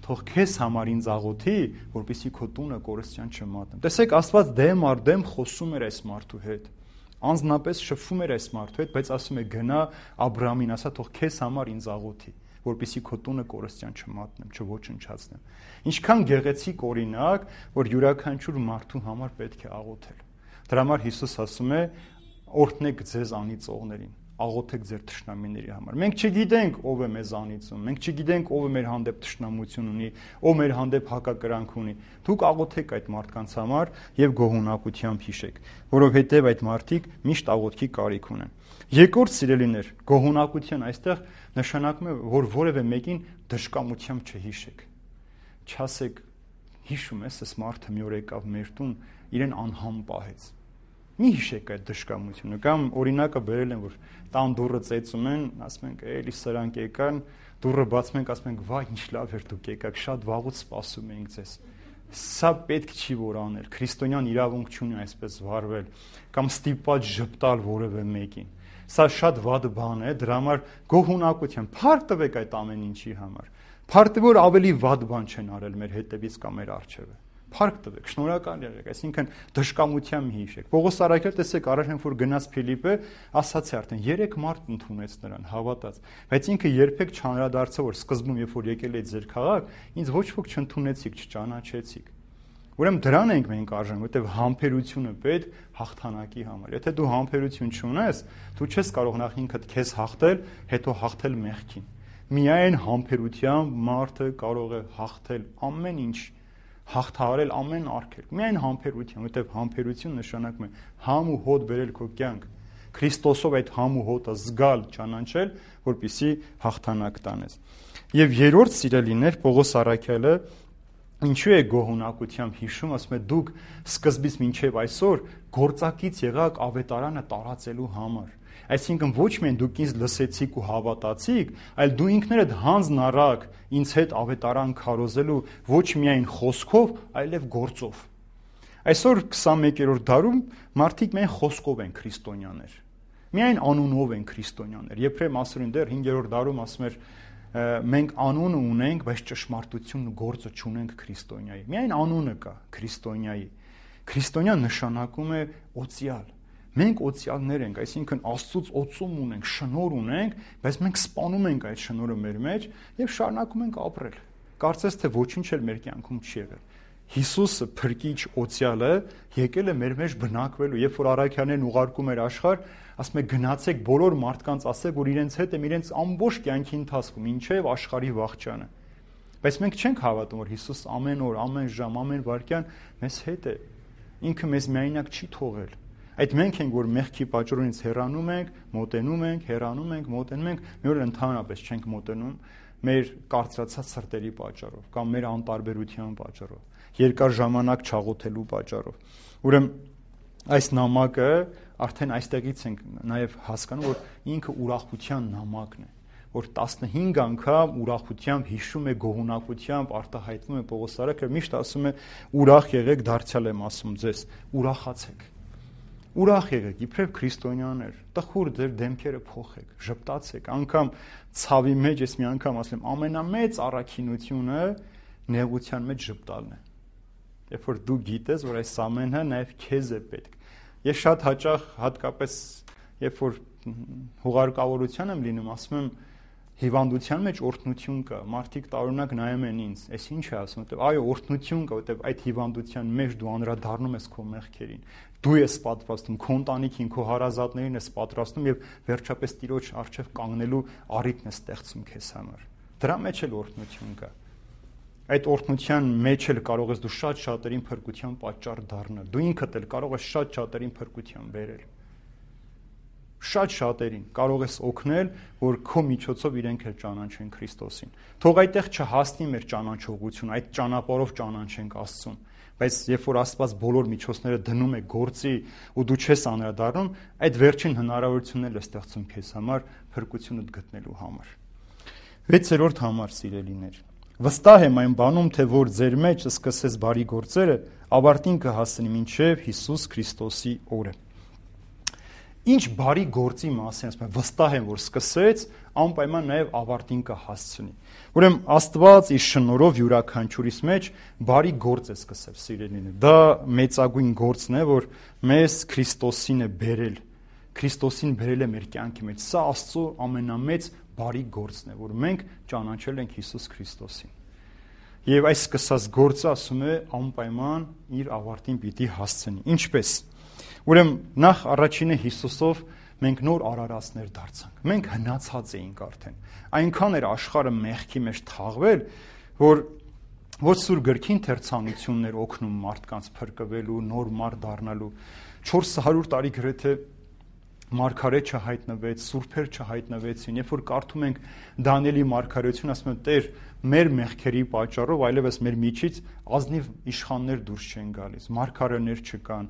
թող քեզ համար ինձ աղոթի, որպեսզի քո տունը կորստյան չմատնեմ։ Տեսեք, Աստված դեմ առ դեմ խոսում էր այս մարդու հետ։ Անձնապես շփվում էր այս մարդու հետ, բայց ասում է գնա Աբրահամին ասա, թող քեզ համար ինձ աղոթի, որպեսզի քո տունը կորստյան չմատնեմ, չոչնչացնեմ։ Ինչքան գեղեցիկ օրինակ, որ յուրաքանչյուր մարդու համար պետք է աղոթել։ Դրա համար Հիսուս ասում է. օրհնեք ձեզ անիծողներին, աղոթեք ձեր թշնամիների համար։ Մենք չգիտենք ով է մեզ անիծում, մենք չգիտենք ով է մեր հանդեպ թշնամություն ունի, ով մեր հանդեպ հակակրանք ունի։ Դուք աղոթեք այդ մարդկանց համար եւ գոհունակությամբ հիշեք, որովհետեւ այդ մարդիկ միշտ աղոթքի կարիք ունեն։ Երկրորդ սիրելիներ, գոհունակություն այստեղ նշանակում է, որ որևէ մեկին դժկամությամբ չհիշեք։ Չասեք, հիշում ես, այս մարդը մի օր եկավ մեր տուն, իրեն անհամ պահեց։ Մի հիշեք այդ դժկամությունը, կամ օրինակը բերել են, որ տան դուռը ծեծում են, ասում ենք, էլի սրանք եկան, դուռը բացում ենք, ասում ենք, վայ, ինչ լավ էր դուք եկաք, շատ վաղուց սպասում էինք ձեզ։ Սա պետք չի որ անել, քրիստոնյան իրավունք չունի այսպես վարվել, կամ ստիպված ժպտալ որևէ մեկին։ Սա շատ վատ բան է, դրա համար գոհունակությամբ փառք տվեք այդ ամեն ինչի համար։ Փառք տվեք, որ ավելի վատ բան չեն արել մեր հետևից կամ մեր առջևը։ Փառք տվեք, շնորհակալ եղեք, այսինքն դժկամությամբ հիշեք։ Պողոս առաքյալ տեսեք, առաջին որ գնաց Փիլիպպե, ասացի արդեն երեք մարդ ընդունեց նրան, հավատաց, բայց ինքը երբեք չանդրադարձավ, որ սկզբում երբ որ եկել եք ձեր քաղաք, ինձ ոչ ոք չընդունեցիք, չճանաչեցիք։ Ուրեմն դրան ենք մենք արժան, որտեղ համբերությունը պետք հաղթանակի համար։ Եթե դու համբերություն չունես, դու չես կարող նախ ինքդ քեզ հաղթել, հետո հաղթել մեղքին։ Միայն համբերությամբ մարդը կարող է հաղթել ամեն ինչ, հաղթահարել ամեն արգելք։ Միայն համբերություն, որտեղ համբերություն նշանակում է համ ու հոտ բերել քո կյանք, Քրիստոսով այդ համ ու հոտը զգալ, ճանաչել, որպեսզի հաղթանակ տանես։ Եվ երրորդ սիրելիներ, Պողոս առաքյալը ինչու է գոհունակությամբ հիշում, ասում է դուք սկզբից մինչև այսօր գործակից եղաք ավետարանը տարածելու համար։ Այսինքն ոչ միայն դուք ինձ լսեցիք ու հավատացիք, այլ դու ինքներդ հանձն առաք ինձ հետ ավետարան քարոզելու ոչ միայն խոսքով, այլև գործով։ Այսօր քսանմեկերորդ դարում մարդիկ միայն խոսքով են քրիստոնյաներ։ Միայն անունով են քրիստոնյաներ։ Եփրեմ ասում դեռ հինգերորդ դարում ասում էր մենք անունը ունենք, բայց ճշմարտությունն ու գործը չունենք քրիստոնյայի։ Միայն անունը կա քրիստոնյայի։ Քրիստոնյան նշանակում է օծյալ։ Մենք օծյալներ ենք, այսինքն Աստծուց օծում ունենք, շնորհ ունենք, բայց մենք սպանում ենք այդ շնորհը մեր մեջ եւ շարունակում ենք ապրել։ Կարծես թե ոչինչ էլ մեր կյանքում չի եղել։ Հիսուսը փրկիչ օծյալը եկել է մեր մեջ բնակվելու, երբ որ առաքյալներն ուղարկում էր աշխարհ, ասում է գնացեք բոլոր մարդկանց ասեք, որ իրենց հետ եմ իրենց ամբողջ կյանքի ընթացքում, ինչև աշխարհի վաղճանը։ Բայց մենք չենք հավատում, որ Հիսուս ամեն օր, ամեն ժամ, ամեն վայրկյան մեզ հետ է։ Ինքը մեզ միայնակ չի թողել։ Այդ մենք ենք, որ մեղքի պատճառով հեռանում ենք, մոտենում ենք, հեռանում ենք, մոտենում ենք, մի օր ընդհանրապես չենք մոտենում մեր կարծրացած սրտերի պատճառով կամ մեր անտարբերության պատճառով, երկար ժամանակ չաղոթելու պատճառով։ Ուրեմն այս նամակը արդեն այստեղից ենք նաև հասկանում, որ ինքը ուրախության նամակն է, որ տասնհինգ անգամ ուրախությամբ հիշում է, գոհունակությամբ արտահայտվում է Պողոս առաքյալը, միշտ ասում է ուրախ եղեք, դարձյալ եմ ասում ձեզ, ուրախացեք։ Ուրախ եղեք, իբրև քրիստոնյաներ, տխուր ձեր դեմքերը փոխեք, ժպտացեք, անգամ ցավի մեջ ես մի անգամ ասեմ, ամենամեծ առաքինությունը նեղության մեջ ժպտալն է։ Երբ որ դու գիտես, որ այս ամենը նաև քեզ է պետք։ Ես շատ հաճախ հատկապես երբ որ հուղարկավորության եմ լինում, ասում եմ հիվանդության մեջ օրհնություն կա, մարդիկ տարօրինակ նայում են ինձ, այս ինչ է ասում, որտեվ այո, օրհնություն կա, որտեվ այդ հիվանդության մեջ դու անդրադառնում ես քո մեղքերին, դու ես պատրաստում, քո ընտանիքին, քո հարազատներին ես պատրաստում եւ վերջապես Տիրոջ առջև կանգնելու առիթն ես ստեղծում քեզ համար։ Դրա մեջ էլ օրհնություն կա։ Այդ օրհնության մեջ էլ կարող ես դու շատ շատերին փրկության պատճառ դառնալ։ Դու ինքդ էլ կարող ես շատ շատերին փրկության բերել։ Շատ շատերին կարող ես օգնել, որ քո միջոցով իրենք էլ ճանաչեն Քրիստոսին։ Թող այդտեղ չհասնի մեր ճանաչողությունը, այդ ճանապարհով ճանաչենք Աստծուն, բայց երբ որ Աստված բոլոր միջոցները դնում է գործի ու դու չես անդրադառնում, այդ վերջին հնարավորությունն էլ է ստեղծում քեզ համար փրկությունդ գտնելու համար։ վեցերորդ համար, սիրելիներ, վստահ եմ այն բանում, թե որ ձեր մեջ սկսես բարի գործերը, ավարտին կհասնի մինչև Հիսուս Քրիստոսի օրը։ Ինչ բարի գործի մասին ասում եմ, վստահ եմ, որ սկսեց, անպայման նաև ավարտին կհասցնի։ Ուրեմն Աստված իր շնորհով յուրաքանչյուրիս մեջ բարի գործ է սկսել, սիրելիներ։ Դա մեծագույն գործն է, որ մեզ Քրիստոսին է բերել, Քրիստոսին բերել է մեր կյանքի մեջ։ Սա Աստծո ամենամեծ բարի գործն է, որ մենք ճանաչել ենք Հիսուս Քրիստոսին։ Եվ այս սկսած գործը, ասում է, անպայման իր ավարտին պիտի հասցնի։ Ինչպես։ Ուրեմն նախ առաջինը Հիսուսով մենք նոր արարածներ դարձանք։ Մենք հնացած էինք արդեն։ Այնքան էր աշխարհը մեղքի մեջ թաղվել, որ ոչ սուր գրքին թերցանություններ օգնում մարդկանց փրկվելու, նոր մարդ դառնալու։ չորս հարյուր տարի գրեթե մարգարետ չհայտնվեց, սուրբեր չհայտնվեցին։ Երբ որ կարդում ենք Դանիելի մարգարեություն, ասում են Տեր, մեր մեղքերի պատճառով այլևս մեր միջից ազնիվ իշխաններ դուրս չեն գալիս, մարգարեներ չկան,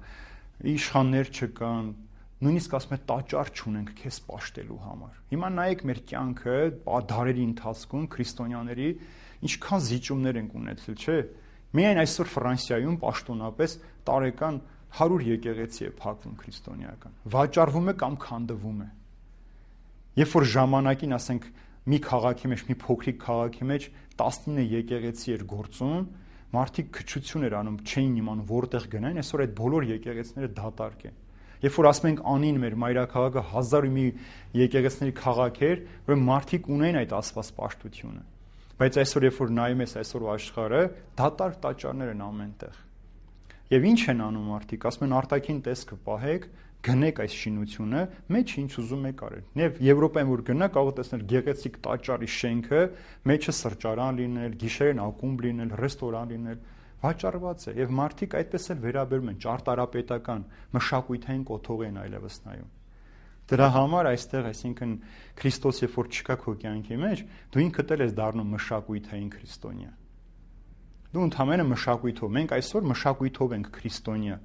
իշխաններ չկան, նույնիսկ ասում է տաճար չունենք քեզ պաշտելու համար։ Հիմա նայեք մեր կյանքը դարերի ընթացքում քրիստոնյաների ինչքան զիջումներ ենք ունեցել, չէ՞։ Միայն այսօր Ֆրանսիայում պաշտոնապես տարեկան հարյուր եկեղեցի է փակվում քրիստոնեական, վաճառվում է կամ քանդվում է։ Երբ որ ժամանակին, ասենք, մի քաղաքի մեջ, մի փոքրիկ քաղաքի մեջ տասնինը եկեղեցի էր գործում, մարդիկ քչություն էր անում, չէին իմանում որտեղ գնային, այսօր այդ բոլոր եկեղեցիները դատարկ են։ Երբ որ ասում ենք անին մեր մայրաքաղաքը հազար ու մի եկեղեցիների քաղաք էր, որ մարդիկ ունեն այդ Աստված պաշտությունը։ Բայց այսօր երբ որ նայում ես այսօր աշխարհը, դատարկ տաճարներ են ամենտեղ։ Եվ ինչ են անում մարդիկ, ասում են արտաքին տեսքը պահեք, գնեք այս շինությունը, մեջ ինչ ուզում եք արել։ Եվ Եվրոպայում որ գնա, կարող տեսնել գեղեցիկ տաճարի շենքը, մեջը սրճարան լինել, գիշերին ակումբ լինել, ռեստորան լինել, վաճառված է եւ մարդիկ այդպես էլ վերաբերում են ճարտարապետական մշակույթային կոթող են այլևս նայում։ Դրա համար այստեղ, այսինքն Քրիստոս երբ որ չկա քո կյանքի մեջ, դու ինքդ էլ ես դառնում մշակույթային քրիստոնյա։ Դու ընդհանրապես մշակույթով, մենք այսօր մշակույթով ենք քրիստոնյա։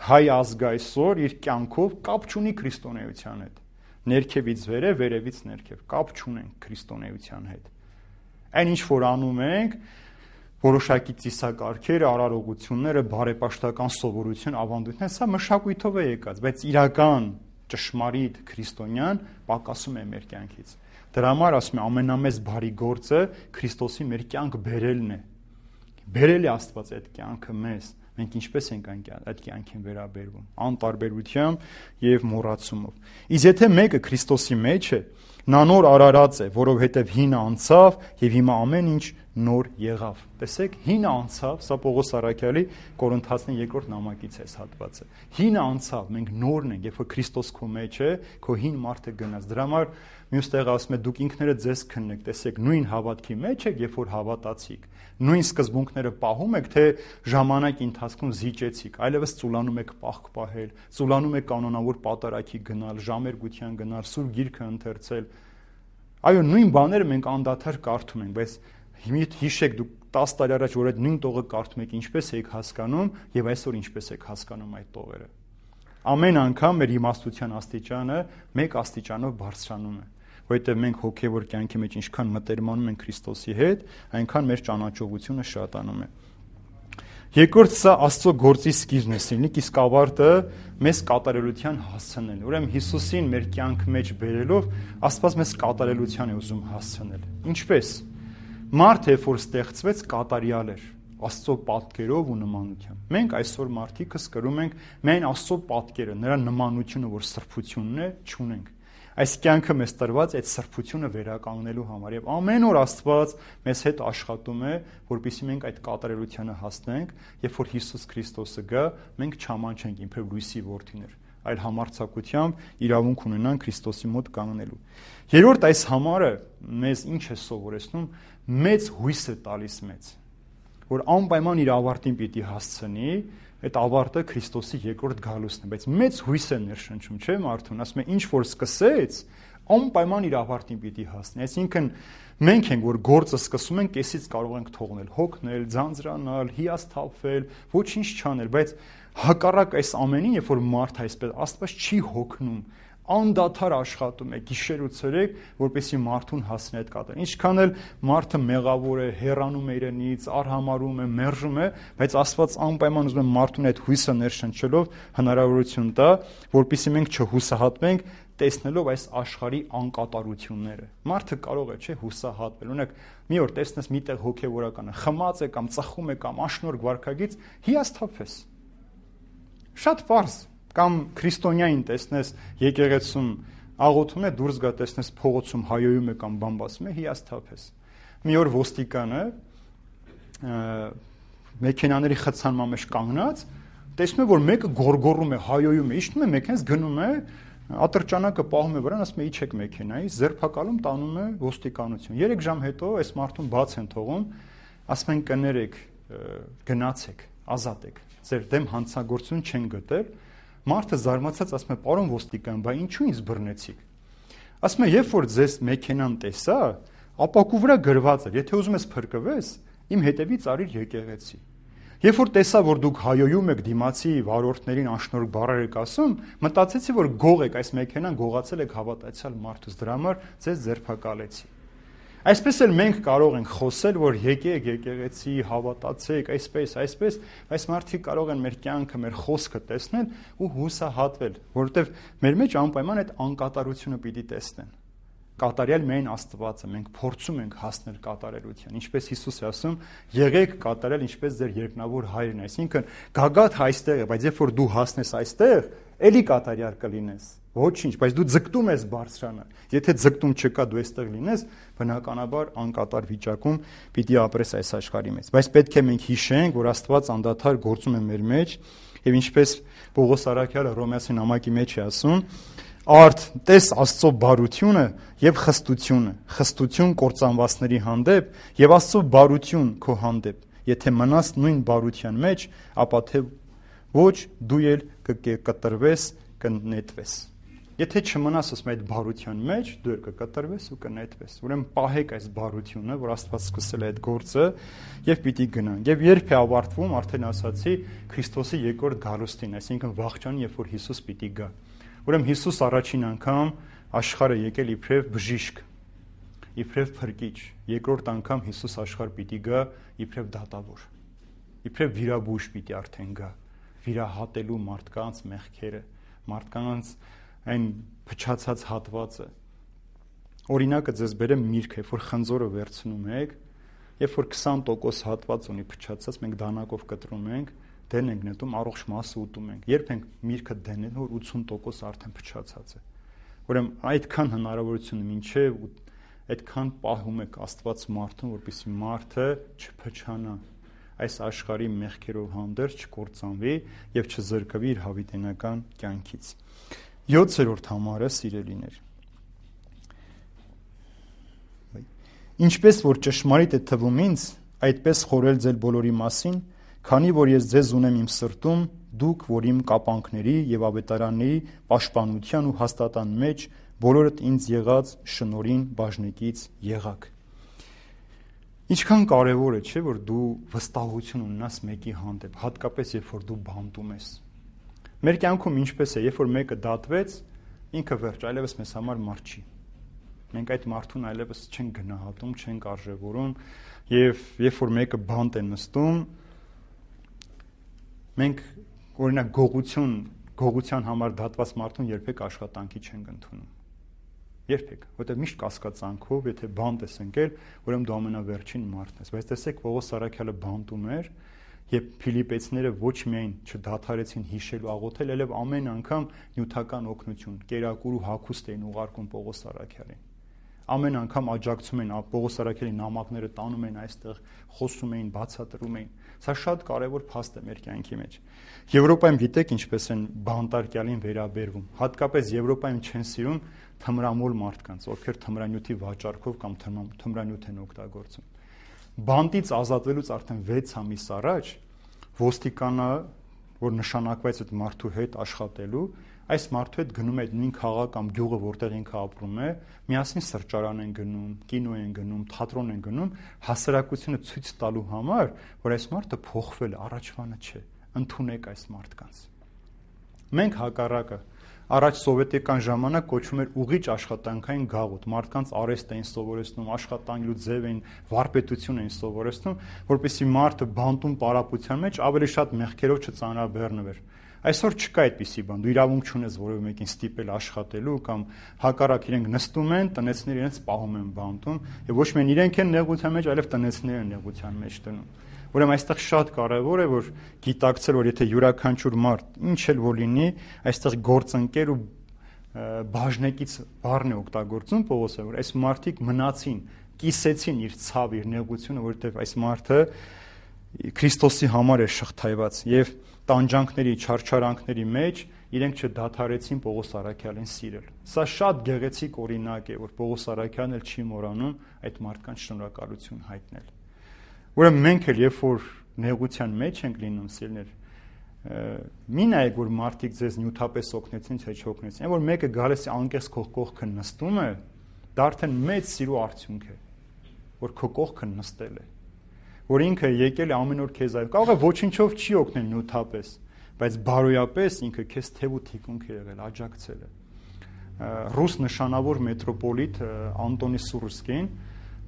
Հայ ազգը այսօր իր կյանքով կապ չունի քրիստոնեության հետ։ Ներքևից վերև, վերևից ներքև կապ չունենք քրիստոնեության հետ։ Այն ինչ որ անում ենք, որոշակի ծիսակարգերը, արարողությունները, բարեպաշտական սովորություն, ավանդույթներ, սա մշակույթով է եկած, բայց իրական ճշմարիտ քրիստոնյան պակասում է մեր կյանքից։ Դրա համար ասում եմ, ամենամեծ բարի գործը Քրիստոսի մեր կյանք բերելն է։ Բերել է Աստված այդ կյանքը մեզ։ Մենք ինչպես ենք այդ կյանքին վերաբերվում, անտարբերությամբ եւ մոռացումով։ Իսկ եթե մեկը Քրիստոսի մեջ է, նա նոր արարած է, որովհետեւ հինը անցավ եւ հիմա ամեն ինչ նոր եղավ։ Տեսեք, հինը անցավ, սա Պողոս Առաքյալի Կորինթացին երկրորդ նամակից է հատվածը։ Հինը անցավ, մենք նորն ենք, երբ որ Քրիստոս քո մեջ է, քո հին մարդը գնաց։ Դրա համար մյուս տեղը ասում է դուք ինքներդ ձեզ քննեք, տեսեք, նույն հավատքի մեջ եք, երբ որ հավատացիք։ Նույն սկզբունքները պահում եք, թե ժամանակի ընթացքում զիջեցիք, այլևս ծուլանում եք պահք պահել, ծուլանում եք կանոնավոր պատարագի գնալ, ժամերգության գնալ, սուրբ գիրքը ընթերցել։ Այո, նույն բաները մենք անդադար կարդում ենք, բայց հիշեք դուք տասը տարի առաջ որ այդ նույն տողը կարդում եք, ինչպես եք հասկանում եւ այսօր ինչպես եք հասկանում այդ տողերը։ Ամեն անգամ մեր իմաստության աստիճանը մեկ աստիճանով բարձրանում է, որովհետեւ մենք հոգեվոր կյանքի մեջ ինչքան մտերմանում ենք Քրիստոսի հետ, այնքան մեր ճանաչողությունը շատանում է։ Երկրորդ սա Աստծո գործի սկիզբն է սիրնիկ, իսկ ավարտը մեզ կատարելության հասցնելն է։ Ուրեմն Հիսուսին մեր կյանքի մեջ բերելով Աստված մեզ կատարելության է ուզում հասցնել։ Ինչպես։ Մարդը, երբ որ ստեղծվեց, կատարյալ էր Աստծո պատկերով ու նմանությամբ։ Մենք այսօր մարդիկս կրում ենք միայն Աստծո պատկերը, նրա նմանությունը, որ սրբությունն է, չունենք։ Այս կյանքը մեզ տրված այդ սրբությունը վերականգնելու համար եւ ամեն օր Աստված մեզ հետ աշխատում է, որպեսզի մենք այդ կատարելությանը հասնենք, երբ որ Հիսուս Քրիստոսը գա, մենք չամանչենք իբր լույսի որդիներ, այլ համարձակությամբ իրավունք ունենան Քրիստոսի մոտ կանգնելու։ Երրորդ այս համարը մեզ ինչ է սովորեցնում, մեծ հույս է տալիս մեզ, որ անպայման իր ավարտին պիտի հասցնի, այդ ավարտը Քրիստոսի երկրորդ գալուստն է, բայց մեծ հույս է ներշնչում, չէ՞ մարդուն, ասում է ինչ որ սկսեց, անպայման իր ավարտին պիտի հասնի։ Այսինքն մենք ենք, որ գործը սկսում ենք, կեսից կարող ենք թողնել, հոգնել, ձանձրանալ, հիասթափվել, ոչինչ չանել, բայց հակառակ այս ամենին, երբ որ մարդ այսպես Աստված չի հոգնում, անդադար աշխատում է գիշեր ու ցերեկ, որպեսզի մարդուն հասնի այդ կատարել։ Ինչքան էլ մարդը մեղավոր է, հեռանում է իրենից, արհամարում է, մերժում է, բայց Աստված անպայման ուզում է մարդուն այդ հույսը ներշնչելով հնարավորություն տա, որպեսզի մենք չհուսահատվենք, տեսնելով այս աշխարհի անկատարությունները։ Մարդը կարող է, չէ, հուսահատվել։ Օրինակ, մի օր տեսնես միտեղ հոգևորականը խմած է կամ ծխում է կամ աշնորհ վարքագից, հիասթափես։ Շատ պարզ։ Կամ քրիստոնյային տեսնես եկեղեցում աղոթում է, դուրս գա տեսնես փողոցում հայոյում է կամ բամբասում է, հիասթափես։ Մի օր ոստիկանը մեքենաների խցանման մեջ կանգնած, տեսնում է, որ մեկը գորգորում է, հայոյում է, իջնում է մեքենաից գնում է, ատրճանակը պահում է վրան, ասում է իջեք մեքենայից, ձերբակալում տանում է ոստիկանություն։ երեք ժամ հետո այս մարդուն բաց են թողում, ասում են կներեք, գնացեք, ազատ եք, ձեր դեմ հանցագործություն չեն գտել։ Մարդը զարմացած ասում է, պարոն ոստիկան, բա ինչու ինձ բռնեցիք։ Ասում է, երբ որ ձեզ մեքենան տեսա, ապակու վրա գրված էր, եթե ուզում ես փրկվես, իմ հետևից արիր եկեղեցի։ Երբ որ տեսա, որ դուք հայոյում եք դիմացի վարորդներին անշնորհ բառեր եք ասում, մտածեցի, որ գող եք, այս մեքենան գողացել եք հավատացյալ մարդուց, դրա համար ձեզ ձերբակալեցի։ Այսպես էլ մենք կարող ենք խոսել, որ եկեք եկեղեցի, հավատացեք, այսպես, այսպես, այս մարդիկ կարող են մեր կյանքը, մեր խոսքը տեսնել ու հուսահատվել, որովհետև մեր մեջ անպայման այդ անկատարությունը պիտի տեսնեն։ Կատարյալ միայն Աստվածը, մենք փորձում ենք հասնել կատարելության, ինչպես Հիսուս է ասում, եղեք կատարյալ, ինչպես ձեր երկնավոր հայրն է, այսինքն գագաթ այստեղ է, բայց երբ որ դու հասնես այստեղ, էլի կատարյալ կլինես։ Ոչինչ, բայց դու ձգտում ես բարձրանալ։ Եթե ձգտում չկա, դու այստեղ լինես, բնականաբար անկատար վիճակում պիտի ապրես այս աշխարհի մեջ։ Բայց պետք է մենք հիշենք, որ Աստված անդադար գործում է մեր մեջ, եւ ինչպես Պողոս Առաքյալը Հռոմեացի նամակի մեջ է ասում, արդ տես Աստծո բարությունը եւ խստությունը, խստություն կործանվածների հանդեպ եւ Աստծո բարություն քո հանդեպ, Եթե մնաս նույն բարության մեջ, ապա թե ոչ դու էլ կկտրվես, կնետվես։ Եթե չմնաս ասում այդ բարության մեջ, դու էլ կկտրվես ու կնետվես։ Ուրեմն պահեք այս բարությունը, որ Աստված սկսել է այդ գործը, եւ պիտի գնանք։ Եվ երբ է ավարտվում, արդեն ասացի, Քրիստոսի երկրորդ գալուստին, այսինքն վաղճան, երբ որ Հիսուս պիտի գա։ Ուրեմն Հիսուս առաջին անգամ աշխարհը եկել իբրև բժիշկ, իբրև փրկիչ, երկրորդ անգամ Հիսուս աշխարհ պիտի գա իբրև դատավոր, իբրև վիրաբույժ պիտի արդեն գա, վիրահատելու մարդկանց մեղքերը, մարդկանց այն փչացած հատվածը։ Օրինակը ձեզ բերեմ միրգ, երբ որ խնձորը վերցնում եք, երբ որ քսան տոկոս հատված ունի փչացած, մենք դանակով կտրում ենք, դեն ենք նետում, առողջ մասը ուտում ենք։ Երբ ենք միրգը դնել, որ ութսուն տոկոս արդեն փչացած է։ Ուրեմն այդքան հնարավորություն մինչև այդքան պահում եք Աստված մարդուն, որպեսզի մարդը չփչանա, այս աշխարհի մեղքերով հանդերձ չկործանվի եւ չզրկվի իր հավիտենական կյանքից։ յոթերորդ համարը, սիրելիներ։ Ինչպես որ ճշմարիտ է թվում ինձ, այդպես խորել ձեր բոլորի մասին, քանի որ ես ձեզ ունեմ իմ սրտում, դուք, որ իմ կապանքների եւ ավետարանների պաշտպանության ու հաստատան մեջ բոլորդ ինձ եղած շնորհին բաժնեկից եղաք։ Ինչքան կարևոր է, չէ՞, որ դու վստահություն ունենաս մեկի հանդեպ, հատկապես երբ որ դու բանտում ես։ Մեր կյանքում ինչպես է, երբ որ մեկը դատվեց, ինքը վերջ, այլևս մեզ համար մարդ չի։ Մենք այդ մարդուն այլևս չենք գնահատում, չենք արժևորում, եւ երբ որ մեկը բանտ է նստում, մենք օրինակ գողություն, գողության համար դատված մարդուն երբեք աշխատանքի չենք ընդունում։ Երբեք, որտեղ միշտ կասկածանքով, եթե բանտ ես ընկել, ուրեմն դու ամենավերջին մարդն ես։ Բայց տեսեք, Պողոս Առաքյալը բանտում էր, եւ Փիլիպեցիները ոչ միայն չդադարեցին հիշել ու աղոթել, այլև ամեն անգամ նյութական օգնություն, կերակուր ու հագուստ էին ուղարկում Պողոս Առաքյալին։ Ամեն անգամ աջակցում էին Պողոս Առաքյալի նամակները տանում էին այստեղ, խոսում էին, բացատրում էին։ Սա շատ կարևոր փաստ է մեր կյանքի մեջ։ Եվրոպայում գիտեք ինչպես են բանտարկյալին վերաբերվում։ Հատկապես Եվրոպայում չեն սիրում թմրամոլ մարդկանց, ովքեր թմրանյութի վաճառքով կամ թմրանյութ են օգտագործում։ Բանտից ազատվելուց արդեն վեց ամիս առաջ ոստիկանը, որ նշանակվեց այդ մարդու հետ աշխատելու, այս մարդու հետ գնում է նույն քաղաք կամ գյուղը, որտեղ ինքը ապրում է, միասին սրճարան են գնում, կինո են գնում, թատրոն են գնում, հասարակությունը ցույց տալու համար, որ այս մարդը փոխվել է, առաջվանը չէ, ընդունեք այս մարդկանց։ Մենք հակառակը, առաջ սովետական ժամանակ կոչվում էր ուղիչ աշխատանքային գաղութ, մարդկանց արեստ էին սովորեցնում, աշխատանքելու ձև էին, վարպետություն էին սովորեցնում, որպեսզի մարդը բանտում պարապության մեջ ավելի շատ մեղքերով չծանրաբեռնվեր։ Այսօր չկա այդպիսի բան, դու իրավունք չունես որևէ մեկին ստիպել աշխատելու կամ հակառակ իրենք նստում են, տնեցները իրենց պահում են բանտում, եւ ոչ միայն իրենք են նեղության մեջ, այլև տնեցները են նեղության մեջ դնում։ Ուրեմն այստեղ շատ կարևոր է, որ գիտակցել, որ եթե յուրաքանչյուր մարդ ինչ էլ որ լինի, այստեղ գործընկեր ու բաժնեկից բառն է օգտագործում Պողոսը, որ այս մարդիկ մնացին, կիսեցին իր ցավ, իր նեղությունը, որովհետեւ այս մարդը Քրիստոսի համար է շղթայված եւ տանջանքների, չարչարանքների մեջ իրենք չդադարեցին Պողոս Առաքյալին սիրել։ Սա շատ գեղեցիկ օրինակ է, որ Պողոս Առաքյալն էլ չի մոռանում այդ մարդկանց շնորհակալություն հայտնել։ Ուրեմն մենք էլ երբ որ նեղության մեջ ենք լինում, սիրներ, մի նայեք, որ մարդիկ ձեզ նյութապես օգնեցին, թե չօգնեցին, որ մեկը գալիս է անկեղծ քո կողքը նստում է, դա արդեն մեծ սիրո արդյունք է, որ քո կողքը նստել է, որ ինքը եկել է ամեն օր քեզ այլ, կարող է ոչինչով չի օգնել նյութապես, բայց բարոյապես ինքը քեզ թև ու թիկունք է եղել, աջակցել է։ Ռուս նշանավոր մետրոպոլիտ Անտոնի Սուրսկին,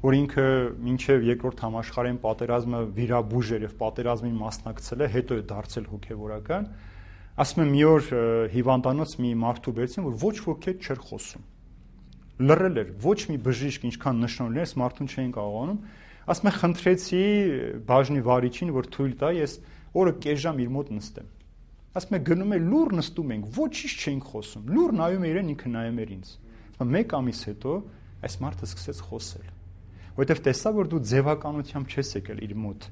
որ ինքը մինչև երկրորդ համաշխարհային պատերազմը վիրաբույժ էր եւ պատերազմին մասնակցել է, հետո է դարձել հոգեվորական, ասում է մի օր հիվանդանոց մի մարդու բերեցին, որ ոչ ոքի հետ չէր խոսում։ Լռել էր, ոչ մի բժիշկ ինչքան նշաններ, այս մարդուն չէին կարողանում, ասում է խնդրեցի բաժնի վարիչին, որ թույլ տա ես օրը կես ժամ իր մոտ նստեմ։ Ասում է գնում է լուր նստում ենք, ոչինչ չենք խոսում, լուր նայում է իրեն, ինքը նայում էր ինձ։ Մեկ ամիս հետո այս մարդը սկսեց խոսել, որովհետև տեսա, որ դու ձևականությամբ չես եկել իր մոտ,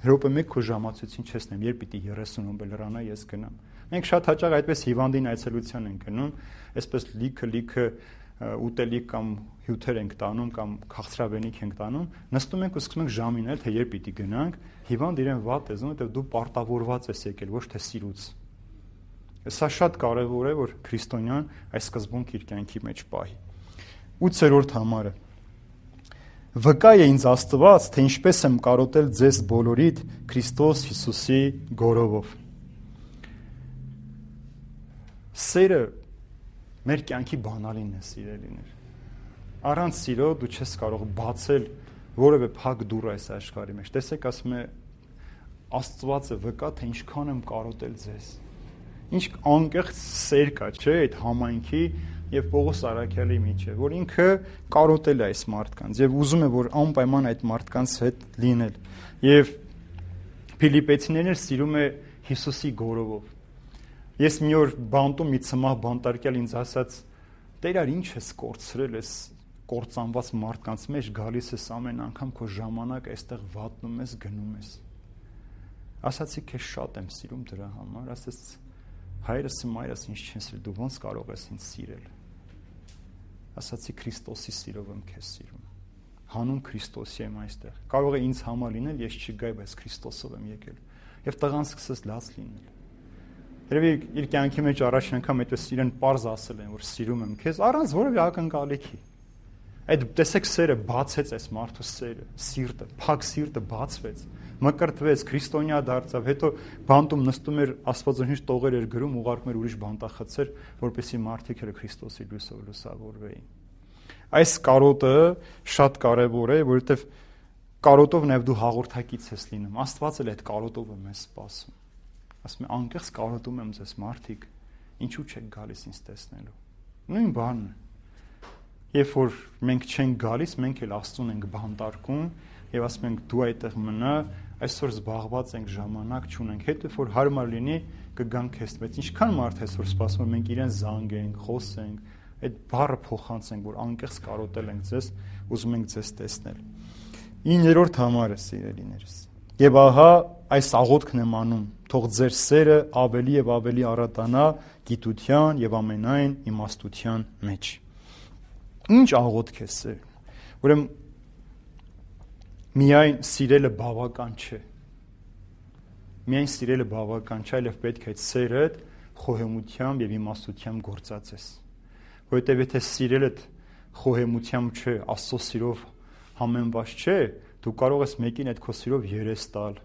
րոպե մեկ քո ժամացույցին չես նայում, երբ պիտի երեսուն րոպե լրանա, ես գնամ։ Մենք շատ հաճախ այդպես հիվանդին այցելության ենք գնում, այսպես լիքը լիքը ուտելիք կամ հյութեր ենք տանում կամ քաղցրավենիք ենք տանում, նստում ենք ու սկսում ենք ժամինել, թե երբ պիտի գնանք, հիվանդ իրեն վատ է զգում, որովհետև դու պարտավորված ես եկել, ոչ թե սիրուց։ Սա շատ կարևոր է, որ քրիստոնյան այս սկզբունքը իր կյանքի մեջ պահի։ ութերորդ համարը։ Վկա է ինձ Աստված, թե ինչպես եմ կարոտել ձեզ բոլորիդ Քրիստոս Հիսուսի գորովով։ Սերը մեր կյանքի բանալին է, սիրելիներ։ Առանց սիրո դու չես կարող բացել որևէ փակ դուռ այս աշխարհի մեջ։ Տեսեք, ասում է Աստվածը վկա, թե ինչքան եմ կարոտել ձեզ։ Ինչ անկեղծ սեր կա, չէ՞, այդ համայնքի եւ Պողոս Արաքյալի միջեւ, որ ինքը կարոտել է այս մարդկանց եւ ուզում է, որ անպայման այդ մարդկանց հետ լինել։ Եվ Փիլիպեցիներին սիրում է Հիսուսի գորովով։ Ես մի օր բանտում մի ցմահ բանտարկյալ ինձ ասաց. «Տեր, ինչ ես կորցրել ես կործանված մարդկանց մեջ, գալիս ես ամեն անգամ քո ժամանակ այստեղ վատնում ես, գնում ես»։ Ասացի, քեզ շատ եմ սիրում դրա համար, ասաց հայրս ու մայրս ինձ չեն սիրել, դու ոնց կարող ես ինձ սիրել։ Ասացի Քրիստոսի սիրով եմ քեզ սիրում։ Հանուն Քրիստոսի եմ այստեղ։ Կարող է ինձ համար լինել, ես չգայի, բայց Քրիստոսով եմ եկել։ Եվ տղան սկսեց լաց լինել։ Երևի իր կյանքի մեջ առաջին անգամ այդպես իրեն պարզ ասել են, որ սիրում եմ քեզ, առանց որևէ ակնկալիքի։ Այդ տեսեք սերը բացեց այս մարդու սերը, սիրտը, փակ սիրտը բացվեց, մկրտվեց, քրիստոնյա դարձավ, հետո բանտում նստում էր, Աստվածաշունչ տողեր էր գրում, ուղարկում էր ուրիշ բանտախցեր, որպեսզի մարդիկ էլ Քրիստոսի լույսով լուսավորվեին։ Այս կարոտը շատ կարևոր է, որովհետև կարոտով նաև դու հաղորդակից ես լինում։ Աստված էլ այդ կարոտով է մեզ սպասում։ Ասում է անկեղծ կարոտում եմ ձեզ մարդիկ, ինչու չեք գալիս ինձ տեսնելու։ Նույն բանն է։ Երբ որ մենք չենք գալիս, մենք էլ Աստծուն ենք բանտարկում եւ ասում ենք դու այդտեղ մնա, այսօր զբաղված ենք, ժամանակ չունենք, հետո որ հարմար լինի կգանք քեզ, բայց ինչքան մարդ այսօր սպասում է, մենք իրեն զանգենք, խոսենք, այդ բառը փոխանցենք, որ անկեղծ կարոտել ենք ձեզ, ուզում ենք ձեզ տեսնել։ իններորդ համարը, սիրելիներս։ Եվ ահա այս աղոթքն եմ անում, թող ձեր սերը ավելի եւ ավելի առատանա գիտության եւ ամենայն իմաստության մեջ։ Ինչ աղոթք է սեր։ Ուրեմն միայն սիրելը բավական չէ։ Միայն սիրելը բավական չէ, այլև պետք է այդ սերը խոհեմությամբ եւ իմաստությամբ գործածես։ Որովհետեւ եթե սիրելդ խոհեմությամբ չէ, Աստծո սիրով համեմված չէ, դու կարող ես մեկին այդ քո սիրով երես տալ,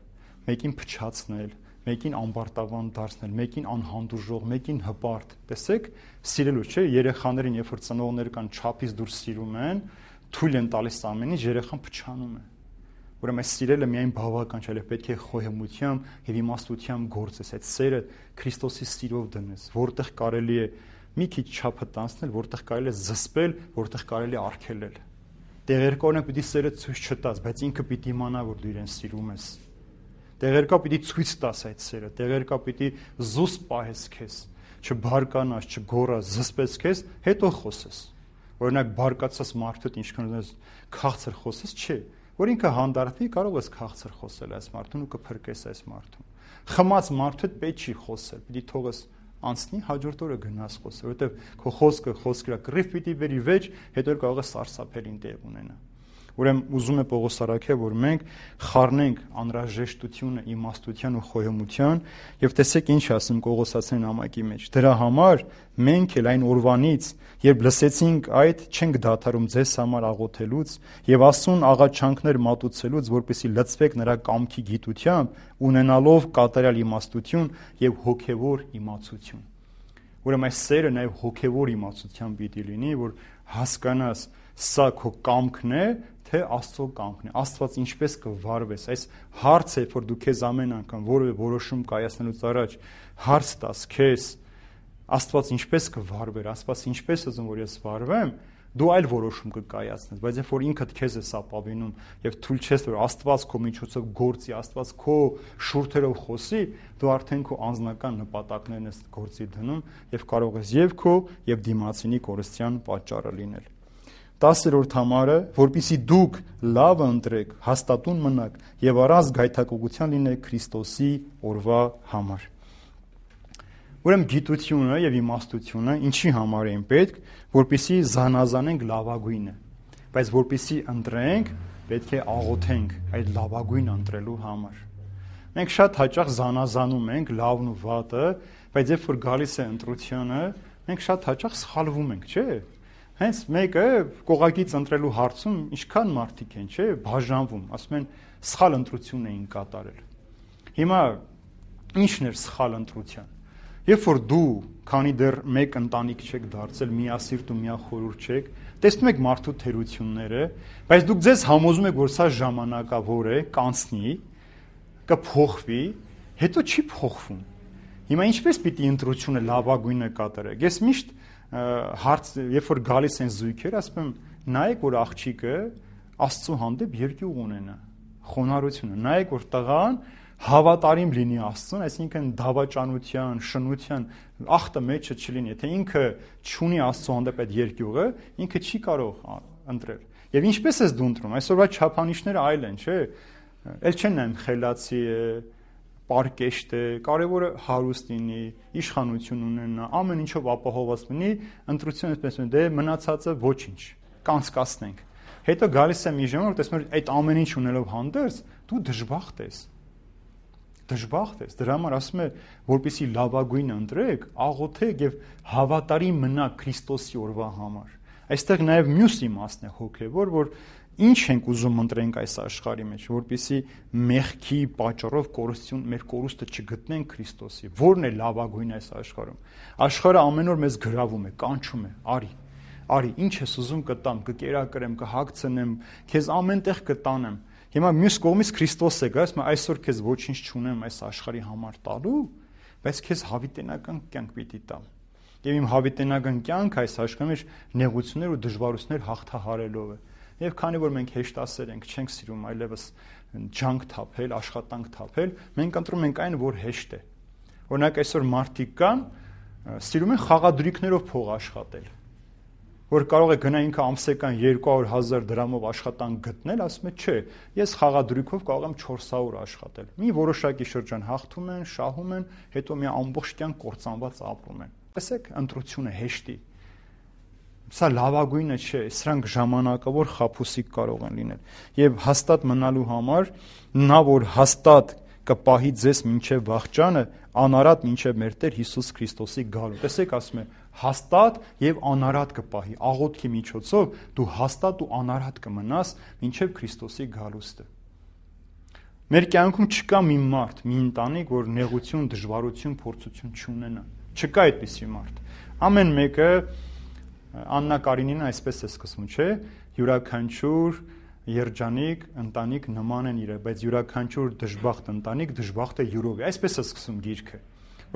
մեկին փչացնել, մեկին ամբարտավան դարձնել, մեկին անհանդուրժող, մեկին հպարտ։ Տեսեք, սիրելու չէ, երեխաներին, երբ որ ծնողները կան չափից դուրս սիրում են, թույլ են տալիս ամեն ինչ, երեխան փչանում է։ Ուրեմն այս սիրելը միայն բավական չէ, այլ պետք է խոհեմությամբ եւ իմաստությամբ գործես, այդ սերը Քրիստոսի սիրով դնես, որտեղ կարելի է մի քիչ չափը տանցնել, որտեղ կարելի է զսպել, որտեղ կարելի է արգելել։ Տեղերկորն պիտի սերը ցույց չտաս, բայց ինքը պիտի իմանա, որ դու իրեն սիրում ես։ Տեղերկա պիտի ցույց տաս այդ սերը, տեղերկա պիտի զուսպ պահես քեզ, չբարկանաս, չգոռաս, զսպես քեզ, հետո խոսես։ Օրինակ բարկացած մարդուդ ինչքան ուզես քաղցր խոսես, չէ, որ ինքը հանդարտվի, կարող ես քաղցր խոսել այս մարդուն ու կփրկես այս մարդուն։ Խմած մարդուդ պետք չի խոսել, պիտի թողես անցնի, հաջորդ օրը գնաս խոսել, որովհետև քո խոսքը խոսքրա կռիվ պիտի բերի վեճ, հետո կարող է սարսափելին տեղ ունենա։ Ուրեմն ուզում է Պողոս Արաքյալը, որ մենք խառնենք անհրաժեշտությունը իմաստության ու խոհեմության, եւ տեսեք ինչ ասում Կողոսացին նամակի մեջ։ Դրա համար մենք էլ այն օրվանից, երբ լսեցինք այդ, չենք դադարում ձեզ համար աղոթելուց եւ Աստծուն աղաչանքներ մատուցելուց, որպեսզի լցվեք նրա կամքի գիտությամբ, ունենալով կատարյալ իմաստություն եւ հոգեվոր իմացություն։ Ուրեմն այս սերը նաեւ հոգեվոր իմացությամբ պիտի լինի, որ հասկանաս սա քո կամքն է, թե Աստծո կամքն է, Աստված ինչպես կվարվես, այս հարցը, որ դու քեզ ամեն անգամ որևէ որոշում կայացնելուց առաջ հարց տաս քեզ, Աստված ինչպես կվարվեր, Աստված ինչպես ուզում որ ես վարվեմ, դու այլ որոշում կկայացնես, բայց երբ որ ինքդ քեզ ես ապավինում եւ թույլ չես որ Աստված քո միջոցով գործի, Աստված քո շուրթերով խոսի, դու արդեն քո անձնական նպատակներն ես գործի դնում եւ կարող ես եւ քո եւ դիմացինի կորստյան պատճառը լինել։ Տասերորդ համարը, որպիսի դուք լավը ընտրեք, հաստատուն մնաք եւ առանց գայթակղության լինեք Քրիստոսի օրվա համար։ Ուրեմն գիտությունը եւ իմաստությունը ինչի համար են պետք, որպեսզի զանազանենք լավագույնը, բայց որպեսզի ընտրենք, պետք է աղոթենք այդ լավագույնը ընտրելու համար։ Մենք շատ հաճախ զանազանում ենք լավն ու վատը, բայց երբ որ գալիս է ընտրությունը, մենք շատ հաճախ սխալվում ենք, չէ՞։ Հենց մեկը կողակից ընտրելու հարցում ինչքան մարդիկ են, չէ՞, բաժանվում, ասում են սխալ ընտրություն էին կատարել։ Հիմա ի՞նչն էր սխալ ընտրության։ Երբ որ դու, քանի դեռ մեկ ընտանիք չեք դարձել, միասիրտ ու միախորհուրդ չեք, տեսնում եք մարդու թերությունները, բայց դուք ձեզ համոզում եք, որ սա ժամանակավոր է, կանցնի, կփոխվի, հետո չի փոխվում։ Հիմա ինչպես պիտի ընտրությունը լավագույնը կատարեք։ Ես միշտ հարց, երբ որ գալիս են զույգեր, ասում եմ, նայեք, որ աղջիկը Աստծո հանդեպ երկյուղ ունենա, խոնարհությունը, նայեք, որ տղան հավատարիմ լինի Աստծուն, այսինքն դավաճանության, շնության ախտը մեջը չլինի, եթե ինքը չունի Աստծո հանդեպ այդ երկյուղը, ինքը չի կարող ընտրել։ Եվ ինչպես ես դու ընտրում, այսօրվա չափանիշները այլ են, չէ՞։ Էլ չեն նայում խելացի է, պարկեշտ է, կարևորը հարուստ լինի, իշխանություն ունենա, ամեն ինչով ապահովված լինի, ընտրությունը այսպես է, դե մնացածը ոչինչ, կանցկացնենք։ Հետո գալիս է մի ժամ, որ տեսնում ես այդ ամեն ինչ ունելով հանդերձ, դու դժբախտ ես։ Դժբախտ ես, դրա համար ասում է, որպեսզի լավագույնը ընտրեք, աղոթեք եւ հավատարիմ մնաք Քրիստոսի օրվա համար։ Այստեղ նաեւ մյուս իմաստն է հոգեվոր, որ ինչ ենք ուզում ընտրենք այս աշխարհի մեջ, որպեսզի մեղքի պատճառով կորստություն, մեր կորուստը չգտնենք Քրիստոսի։ Որն է լավագույնը այս աշխարհում։ Աշխարհը ամեն օր մեզ գրավում է, կանչում է, արի, արի, ինչ ես ուզում կտամ, կկերակրեմ, կհագցնեմ, քեզ ամենտեղ կտանեմ։ Հիմա մյուս կողմից Քրիստոս է գալիս, այսօր քեզ ոչինչ չունեմ այս աշխարհի համար տալու, բայց քեզ հավիտենական կյանք պիտի տամ։ Եվ իմ հավիտենական կյանքը այս աշխարհի մեջ նեղություններ ու դժվարություններ հաղթահարելով է։ Եվ քանի որ մենք հեշտասեր ենք, չենք սիրում այլևս ջանք թափել, աշխատանք թափել, մենք ընտրում ենք այն, որ հեշտ է։ Օրինակ այսօր մարդիկ կան, սիրում են խաղադրույքներով փող աշխատել, որ կարող է գնա ինքը ամսական երկու հարյուր հազար դրամով աշխատանք գտնել, ասում է, չէ, ես խաղադրույքով կարող եմ չորս հարյուր աշխատել։ Մի որոշակի շրջան հաղթում են, շահում են, հետո մի ամբողջ կյանք կործանված ապրում են։ Տեսեք, ընտրությունը հեշտի։ Սա լավագույնը չէ, սրանք ժամանակավոր խաբուսիկ կարող են լինել։ Եվ հաստատ մնալու համար նա, որ հաստատ կպահի ձեզ մինչև վախճանը, անարատ մինչև մեր Տեր Հիսուս Քրիստոսի գալու։ Տեսեք, ասում է, հաստատ եւ անարատ կպահի, աղոթքի միջոցով դու հաստատ ու անարատ կմնաս մինչև Քրիստոսի գալուստը։ Մեր կյանքում չկա մի մարդ, մի ընտանիք, որ նեղություն, դժվարություն, փորձություն չունենա։ Չկա այդպիսի մարդ։ Ամեն մեկը Աննա Կարինինը այսպես է սկսում, չէ՞, յուրաքանչյուր երջանիկ ընտանիք նման են իրար, բայց յուրաքանչյուր դժբախտ ընտանիք դժբախտ է յուրով։ Այսպես է սկսում գիրքը։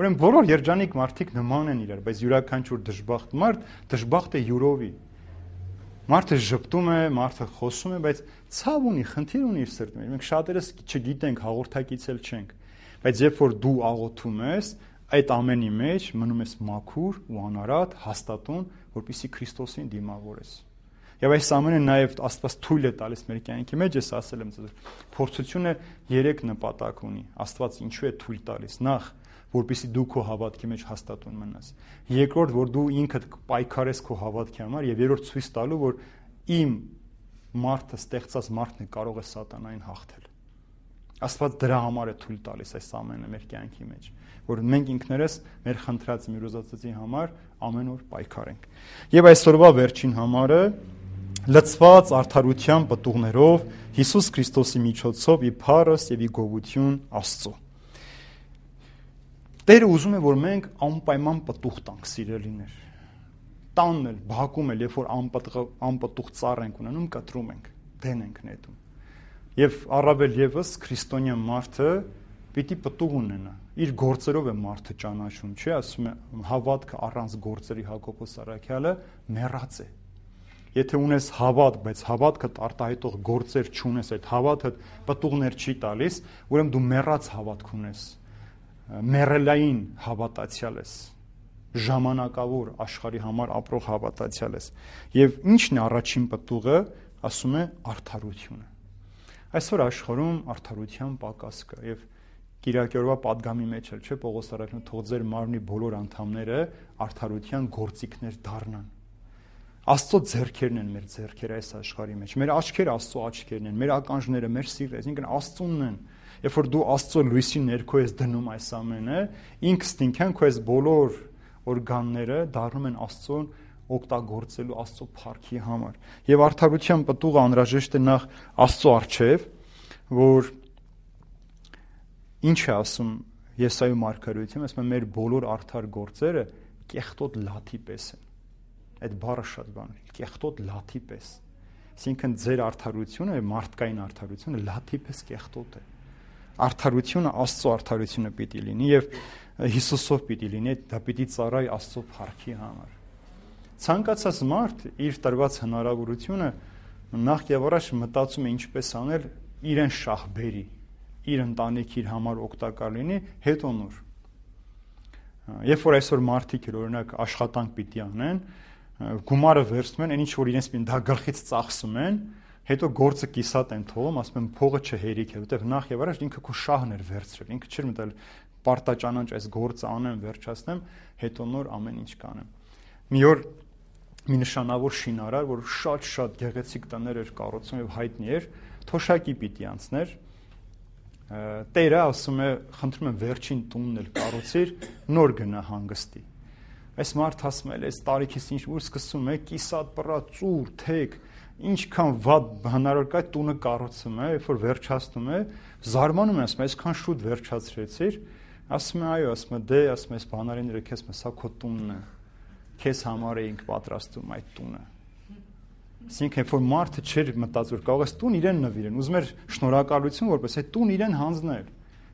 Ուրեմն բոլոր երջանիկ մարդիկ նման են իրար, բայց յուրաքանչյուր դժբախտ մարդ դժբախտ է յուրովի։ Մարդը ժպտում է, մարդը խոսում է, բայց ցավ ունի, խնդիր ունի իր սրտի մեջ։ Մենք շատերս չգիտենք, հաղորդակիցել չենք, բայց երբ որ դու աղոթում ես, այդ ամենի մեջ մնում ես մաքուր ու անարատ, հաստատուն, որպեսզի Քրիստոսին դիմավորես։ Եվ այս ամենը նաև Աստված թույլ է տալիս մեր կյանքի մեջ, ես ասել եմ ձեզ, փորձությունը երեք նպատակ ունի։ Աստված ինչու է թույլ տալիս։ Նախ, որպեսզի դու քո հավատքի մեջ հաստատուն մնաս։ Երկրորդ, որ դու ինքդ պայքարես քո հավատքի համար, եւ երրորդ ցույց տալու, որ իմ մարդը, ստեղծած մարդն է կարող է սատանային հաղթել։ Աստված դրա համար է թույլ տալիս այս ամենը մեր կյանքի մեջ, որ մենք ինքներս մեր խնդրած մեր ուզածի համար ամեն օր պայքարենք։ Եվ այսօրվա վերջին համարը լցված արդարության պտուղներով Հիսուս Քրիստոսի միջոցով ի փառս եւ ի գովություն Աստծո։ Տերը ուզում է, որ մենք անպայման պտուղ տանք, սիրելիներ։ Տանն էլ, բակում էլ, երբ որ անպտուղ ծառ ենք ունենում, կտրում ենք, դեն ենք նետում։ Եվ առավել եւս քրիստոնյա մարդը պիտի պտուղ ունենա։ Իր գործերով է մարդը ճանաչում, չէ՞, ասում է հավատքը առանց գործերի Հակոբոս Արաքյալը մեռած է։ Եթե ունես հավատ, բայց հավատքդ արտահայտող գործեր չունես, այդ հավատը պտուղներ չի տալիս, ուրեմն դու մեռած հավատք ունես, մեռելային հավատացյալ ես, ժամանակավոր աշխարհի համար ապրող հավատացյալ ես։ Եվ ի՞նչն է առաջին պտուղը, ասում է արդարությունը։ Այսօր աշխարհում արդարության պակաս կա եւ Կիրակի օրվա падգամի մեջ էլ չէ Պողոս առաքյալը թող ձեր մարմնի բոլոր անդամները արդարության գործիքներ դառնան։ Աստծո ձեռքերն են մեր ձեռքերը այս աշխարհի մեջ։ Մեր աչքերը Աստծո աչքերն են, մեր ականջները, մեր սիրտը, այսինքն Աստծունն են։ Երբ որ դու Աստծո լույսի ներքո ես դնում այս ամենը, ինքստինքան քո այս բոլոր օրգանները դառնում են Աստծուն օգտագործելու Աստծո փառքի համար։ Եվ արդարության պտուղը անհրաժեշտ է նախ Աստծո առջև, որ ինչ է ասում Եսայի մարգարեությունը, ասում է մեր բոլոր արդար գործերը կեղտոտ լաթի պես են։ Այդ բառը շատ բան է, կեղտոտ լաթի պես։ Այսինքն ձեր արդարությունը, մարդկային արդարությունը լաթի պես կեղտոտ է։ Արդարությունը Աստծո արդարությունը պիտի լինի եւ Հիսուսով պիտի լինի, դա պիտի ծառայի Աստծո փառքի համար։ Ցանկացած մարդ իր տրված հնարավորությունը նախ եւ առաջ մտածում է ինչպես անել իրեն շահբերի, իր ընտանիքի իր համար օգտակար լինի, հետո նոր։ Երբ որ այսօր մարդիկ օրինակ աշխատանք պիտի անեն, գումարը վերցնում են, այն ինչ որ իրենց դա գլխից ծախսում են, հետո գործը կիսատ են թողում, ասում են փողը չհերիք է, որտեղ նախ եւ առաջ ինքը քո շահն էր վերցրել, ինքը չէր մտել պարտաճանաչ այս գործը անեմ, վերջացնեմ, հետո նոր ամեն ինչ կանեմ։ Մի օր մի նշանավոր շինարար, որ շատ-շատ գեղեցիկ տներ էր կառուցում եւ հայտնի էր, թոշակի պիտի անցներ։ Տերը ասում է, խնդրում եմ վերջին տունն էլ կառուցիր, նոր գնա հանգստի։ Այս մարդ ասում է, այս տարիքից ինչ որ սկսում է կիսատ պռա ծուր, թեք, ինչքան վատ հնարավոր կա տունը կառուցում է, երբ որ վերջացնում է, զարմանում է, ասում է, այսքան շուտ վերջացրեցիր, ասում է, այո, ասում է, դե, ասում է, այս բանալիները քեզ մը սա քո տունն է, քեզ համար էինք պատրաստում այդ տունը։ Այսինքն, երբ որ մարդը չէր մտածում, որ կարող է տուն իրեն նվիրեն, ուզում էր շնորհակալություն, որպես այդ տուն իրեն հանձնել։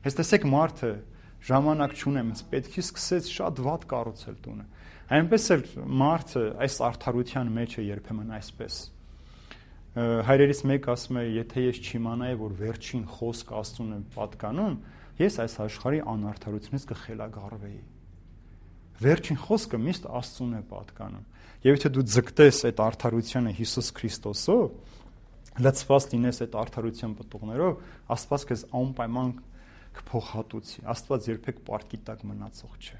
Հենց տեսեք մարդը ժամանակ չունեմ, պետք է սկսեց շատ վատ կառուցել տունը։ Այնպես էլ մարդը այս արդարության մեջ է երբեմն այսպես։ Հայրերից մեկ ասում է, եթե ես չիմանայի, որ վերջին խոսքը Աստծուն է պատկանում, ես այս աշխարհի անարդարությունից կխելագարվեի։ Վերջին խոսքը միշտ Աստծուն է պատկանում։ Եվ եթե դու ձգտես այդ արդարությանը Հիսուս Քրիստոսով, լցված լինես այդ արդարության պտուղներով, Աստված քեզ անպայման կփոխհատուցի։ Աստված երբեք պարտքի տակ մնացող չէ։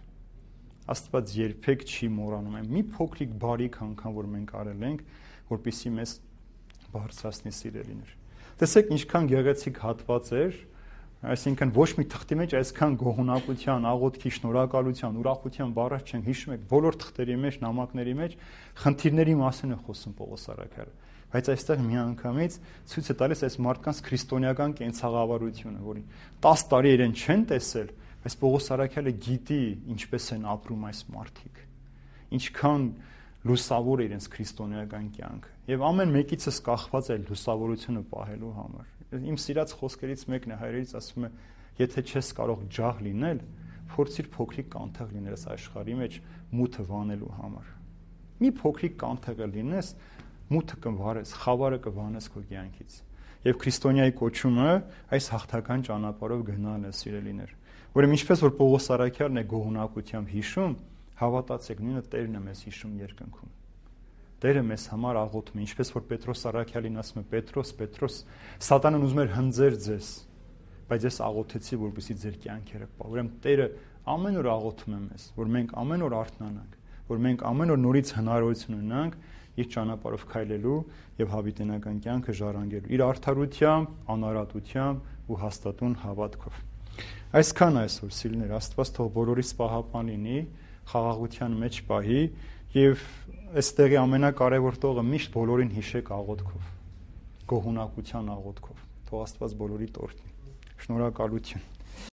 Աստված երբեք չի մոռանում։ Մի փոքրիկ բարիք անգամ որ մենք արել ենք, որպեսզի մեզ բարձրացնի սիրելիներ։ Տեսեք ինչքան գեղեցիկ հատված էր, այսինքն ոչ մի թղթի մեջ այսքան գոհունակության, աղոթքի, շնորհակալության, ուրախության բառեր չեն, հիշում եք, բոլոր թղթերի մեջ, նամակների մեջ խնդիրների մասին է խոսում Պողոս առաքյալը, բայց այստեղ միանգամից ցույց է տալիս այս մարդկանց քրիստոնեական կենցաղավարությունը, որին տասը տարի իրեն չեն տեսել, բայց Պողոս առաքյալը գիտի ինչպես են ապրում այս մարդիկ, ինչքան լուսավոր է իրենց քրիստոնեական կյանքը, եւ ամեն մեկիցս կախված է լուսավորությունը պահելու համար։ Իմ սիրած խոսքերից մեկն է հայրերից ասում է, եթե չես կարող ջահ լինել, փորձիր փոքրիկ կանթեղ լինել այս աշխարհի մեջ մութը վանելու համար։ Մի փոքրիկ կանթեղը լինես, մութը կվարես, խավարը կվանես քո կյանքից։ Եվ քրիստոնյայի կոչումը այս հաղթական ճանապարհով գնալն է, սիրելիներ, որը ինչպես որ Պողոս առաքյալն է գոհունակությամբ հիշում, հավատացեք, նույնը Տերն է մեզ հիշում երկնքում։ Տերը մեզ համար աղոթում է, ինչպես որ Պետրոս առաքյալին ասում է, Պետրոս, Պետրոս, Սատանան ուզում էր հնձեր ձեզ, բայց ես աղոթեցի, որպեսզի ձեր կյանքերը պահ։ Ուրեմն Տերը ամեն օր աղոթում է մեզ, որ մենք ամեն օր արթնանանք, որ մենք ամեն օր նորից հնարավորություն ունենանք իր ճանապարհով քայլելու եւ հավիտենական կյանքը ժառանգելու, իր արդարությամբ, անարատությամբ ու հաստատուն հավատքով։ Այսքան այսօր, սիրելիներ, Աստված թող բոլորիս պահապան լինի, խաղաղության մեջ պահի եւ այստեղի ամենակարևոր տողը միշտ բոլորին հիշեք աղոթքով, գոհունակության աղոթքով։ Թող Աստված բոլորի տորթի։ Շնորհակալություն։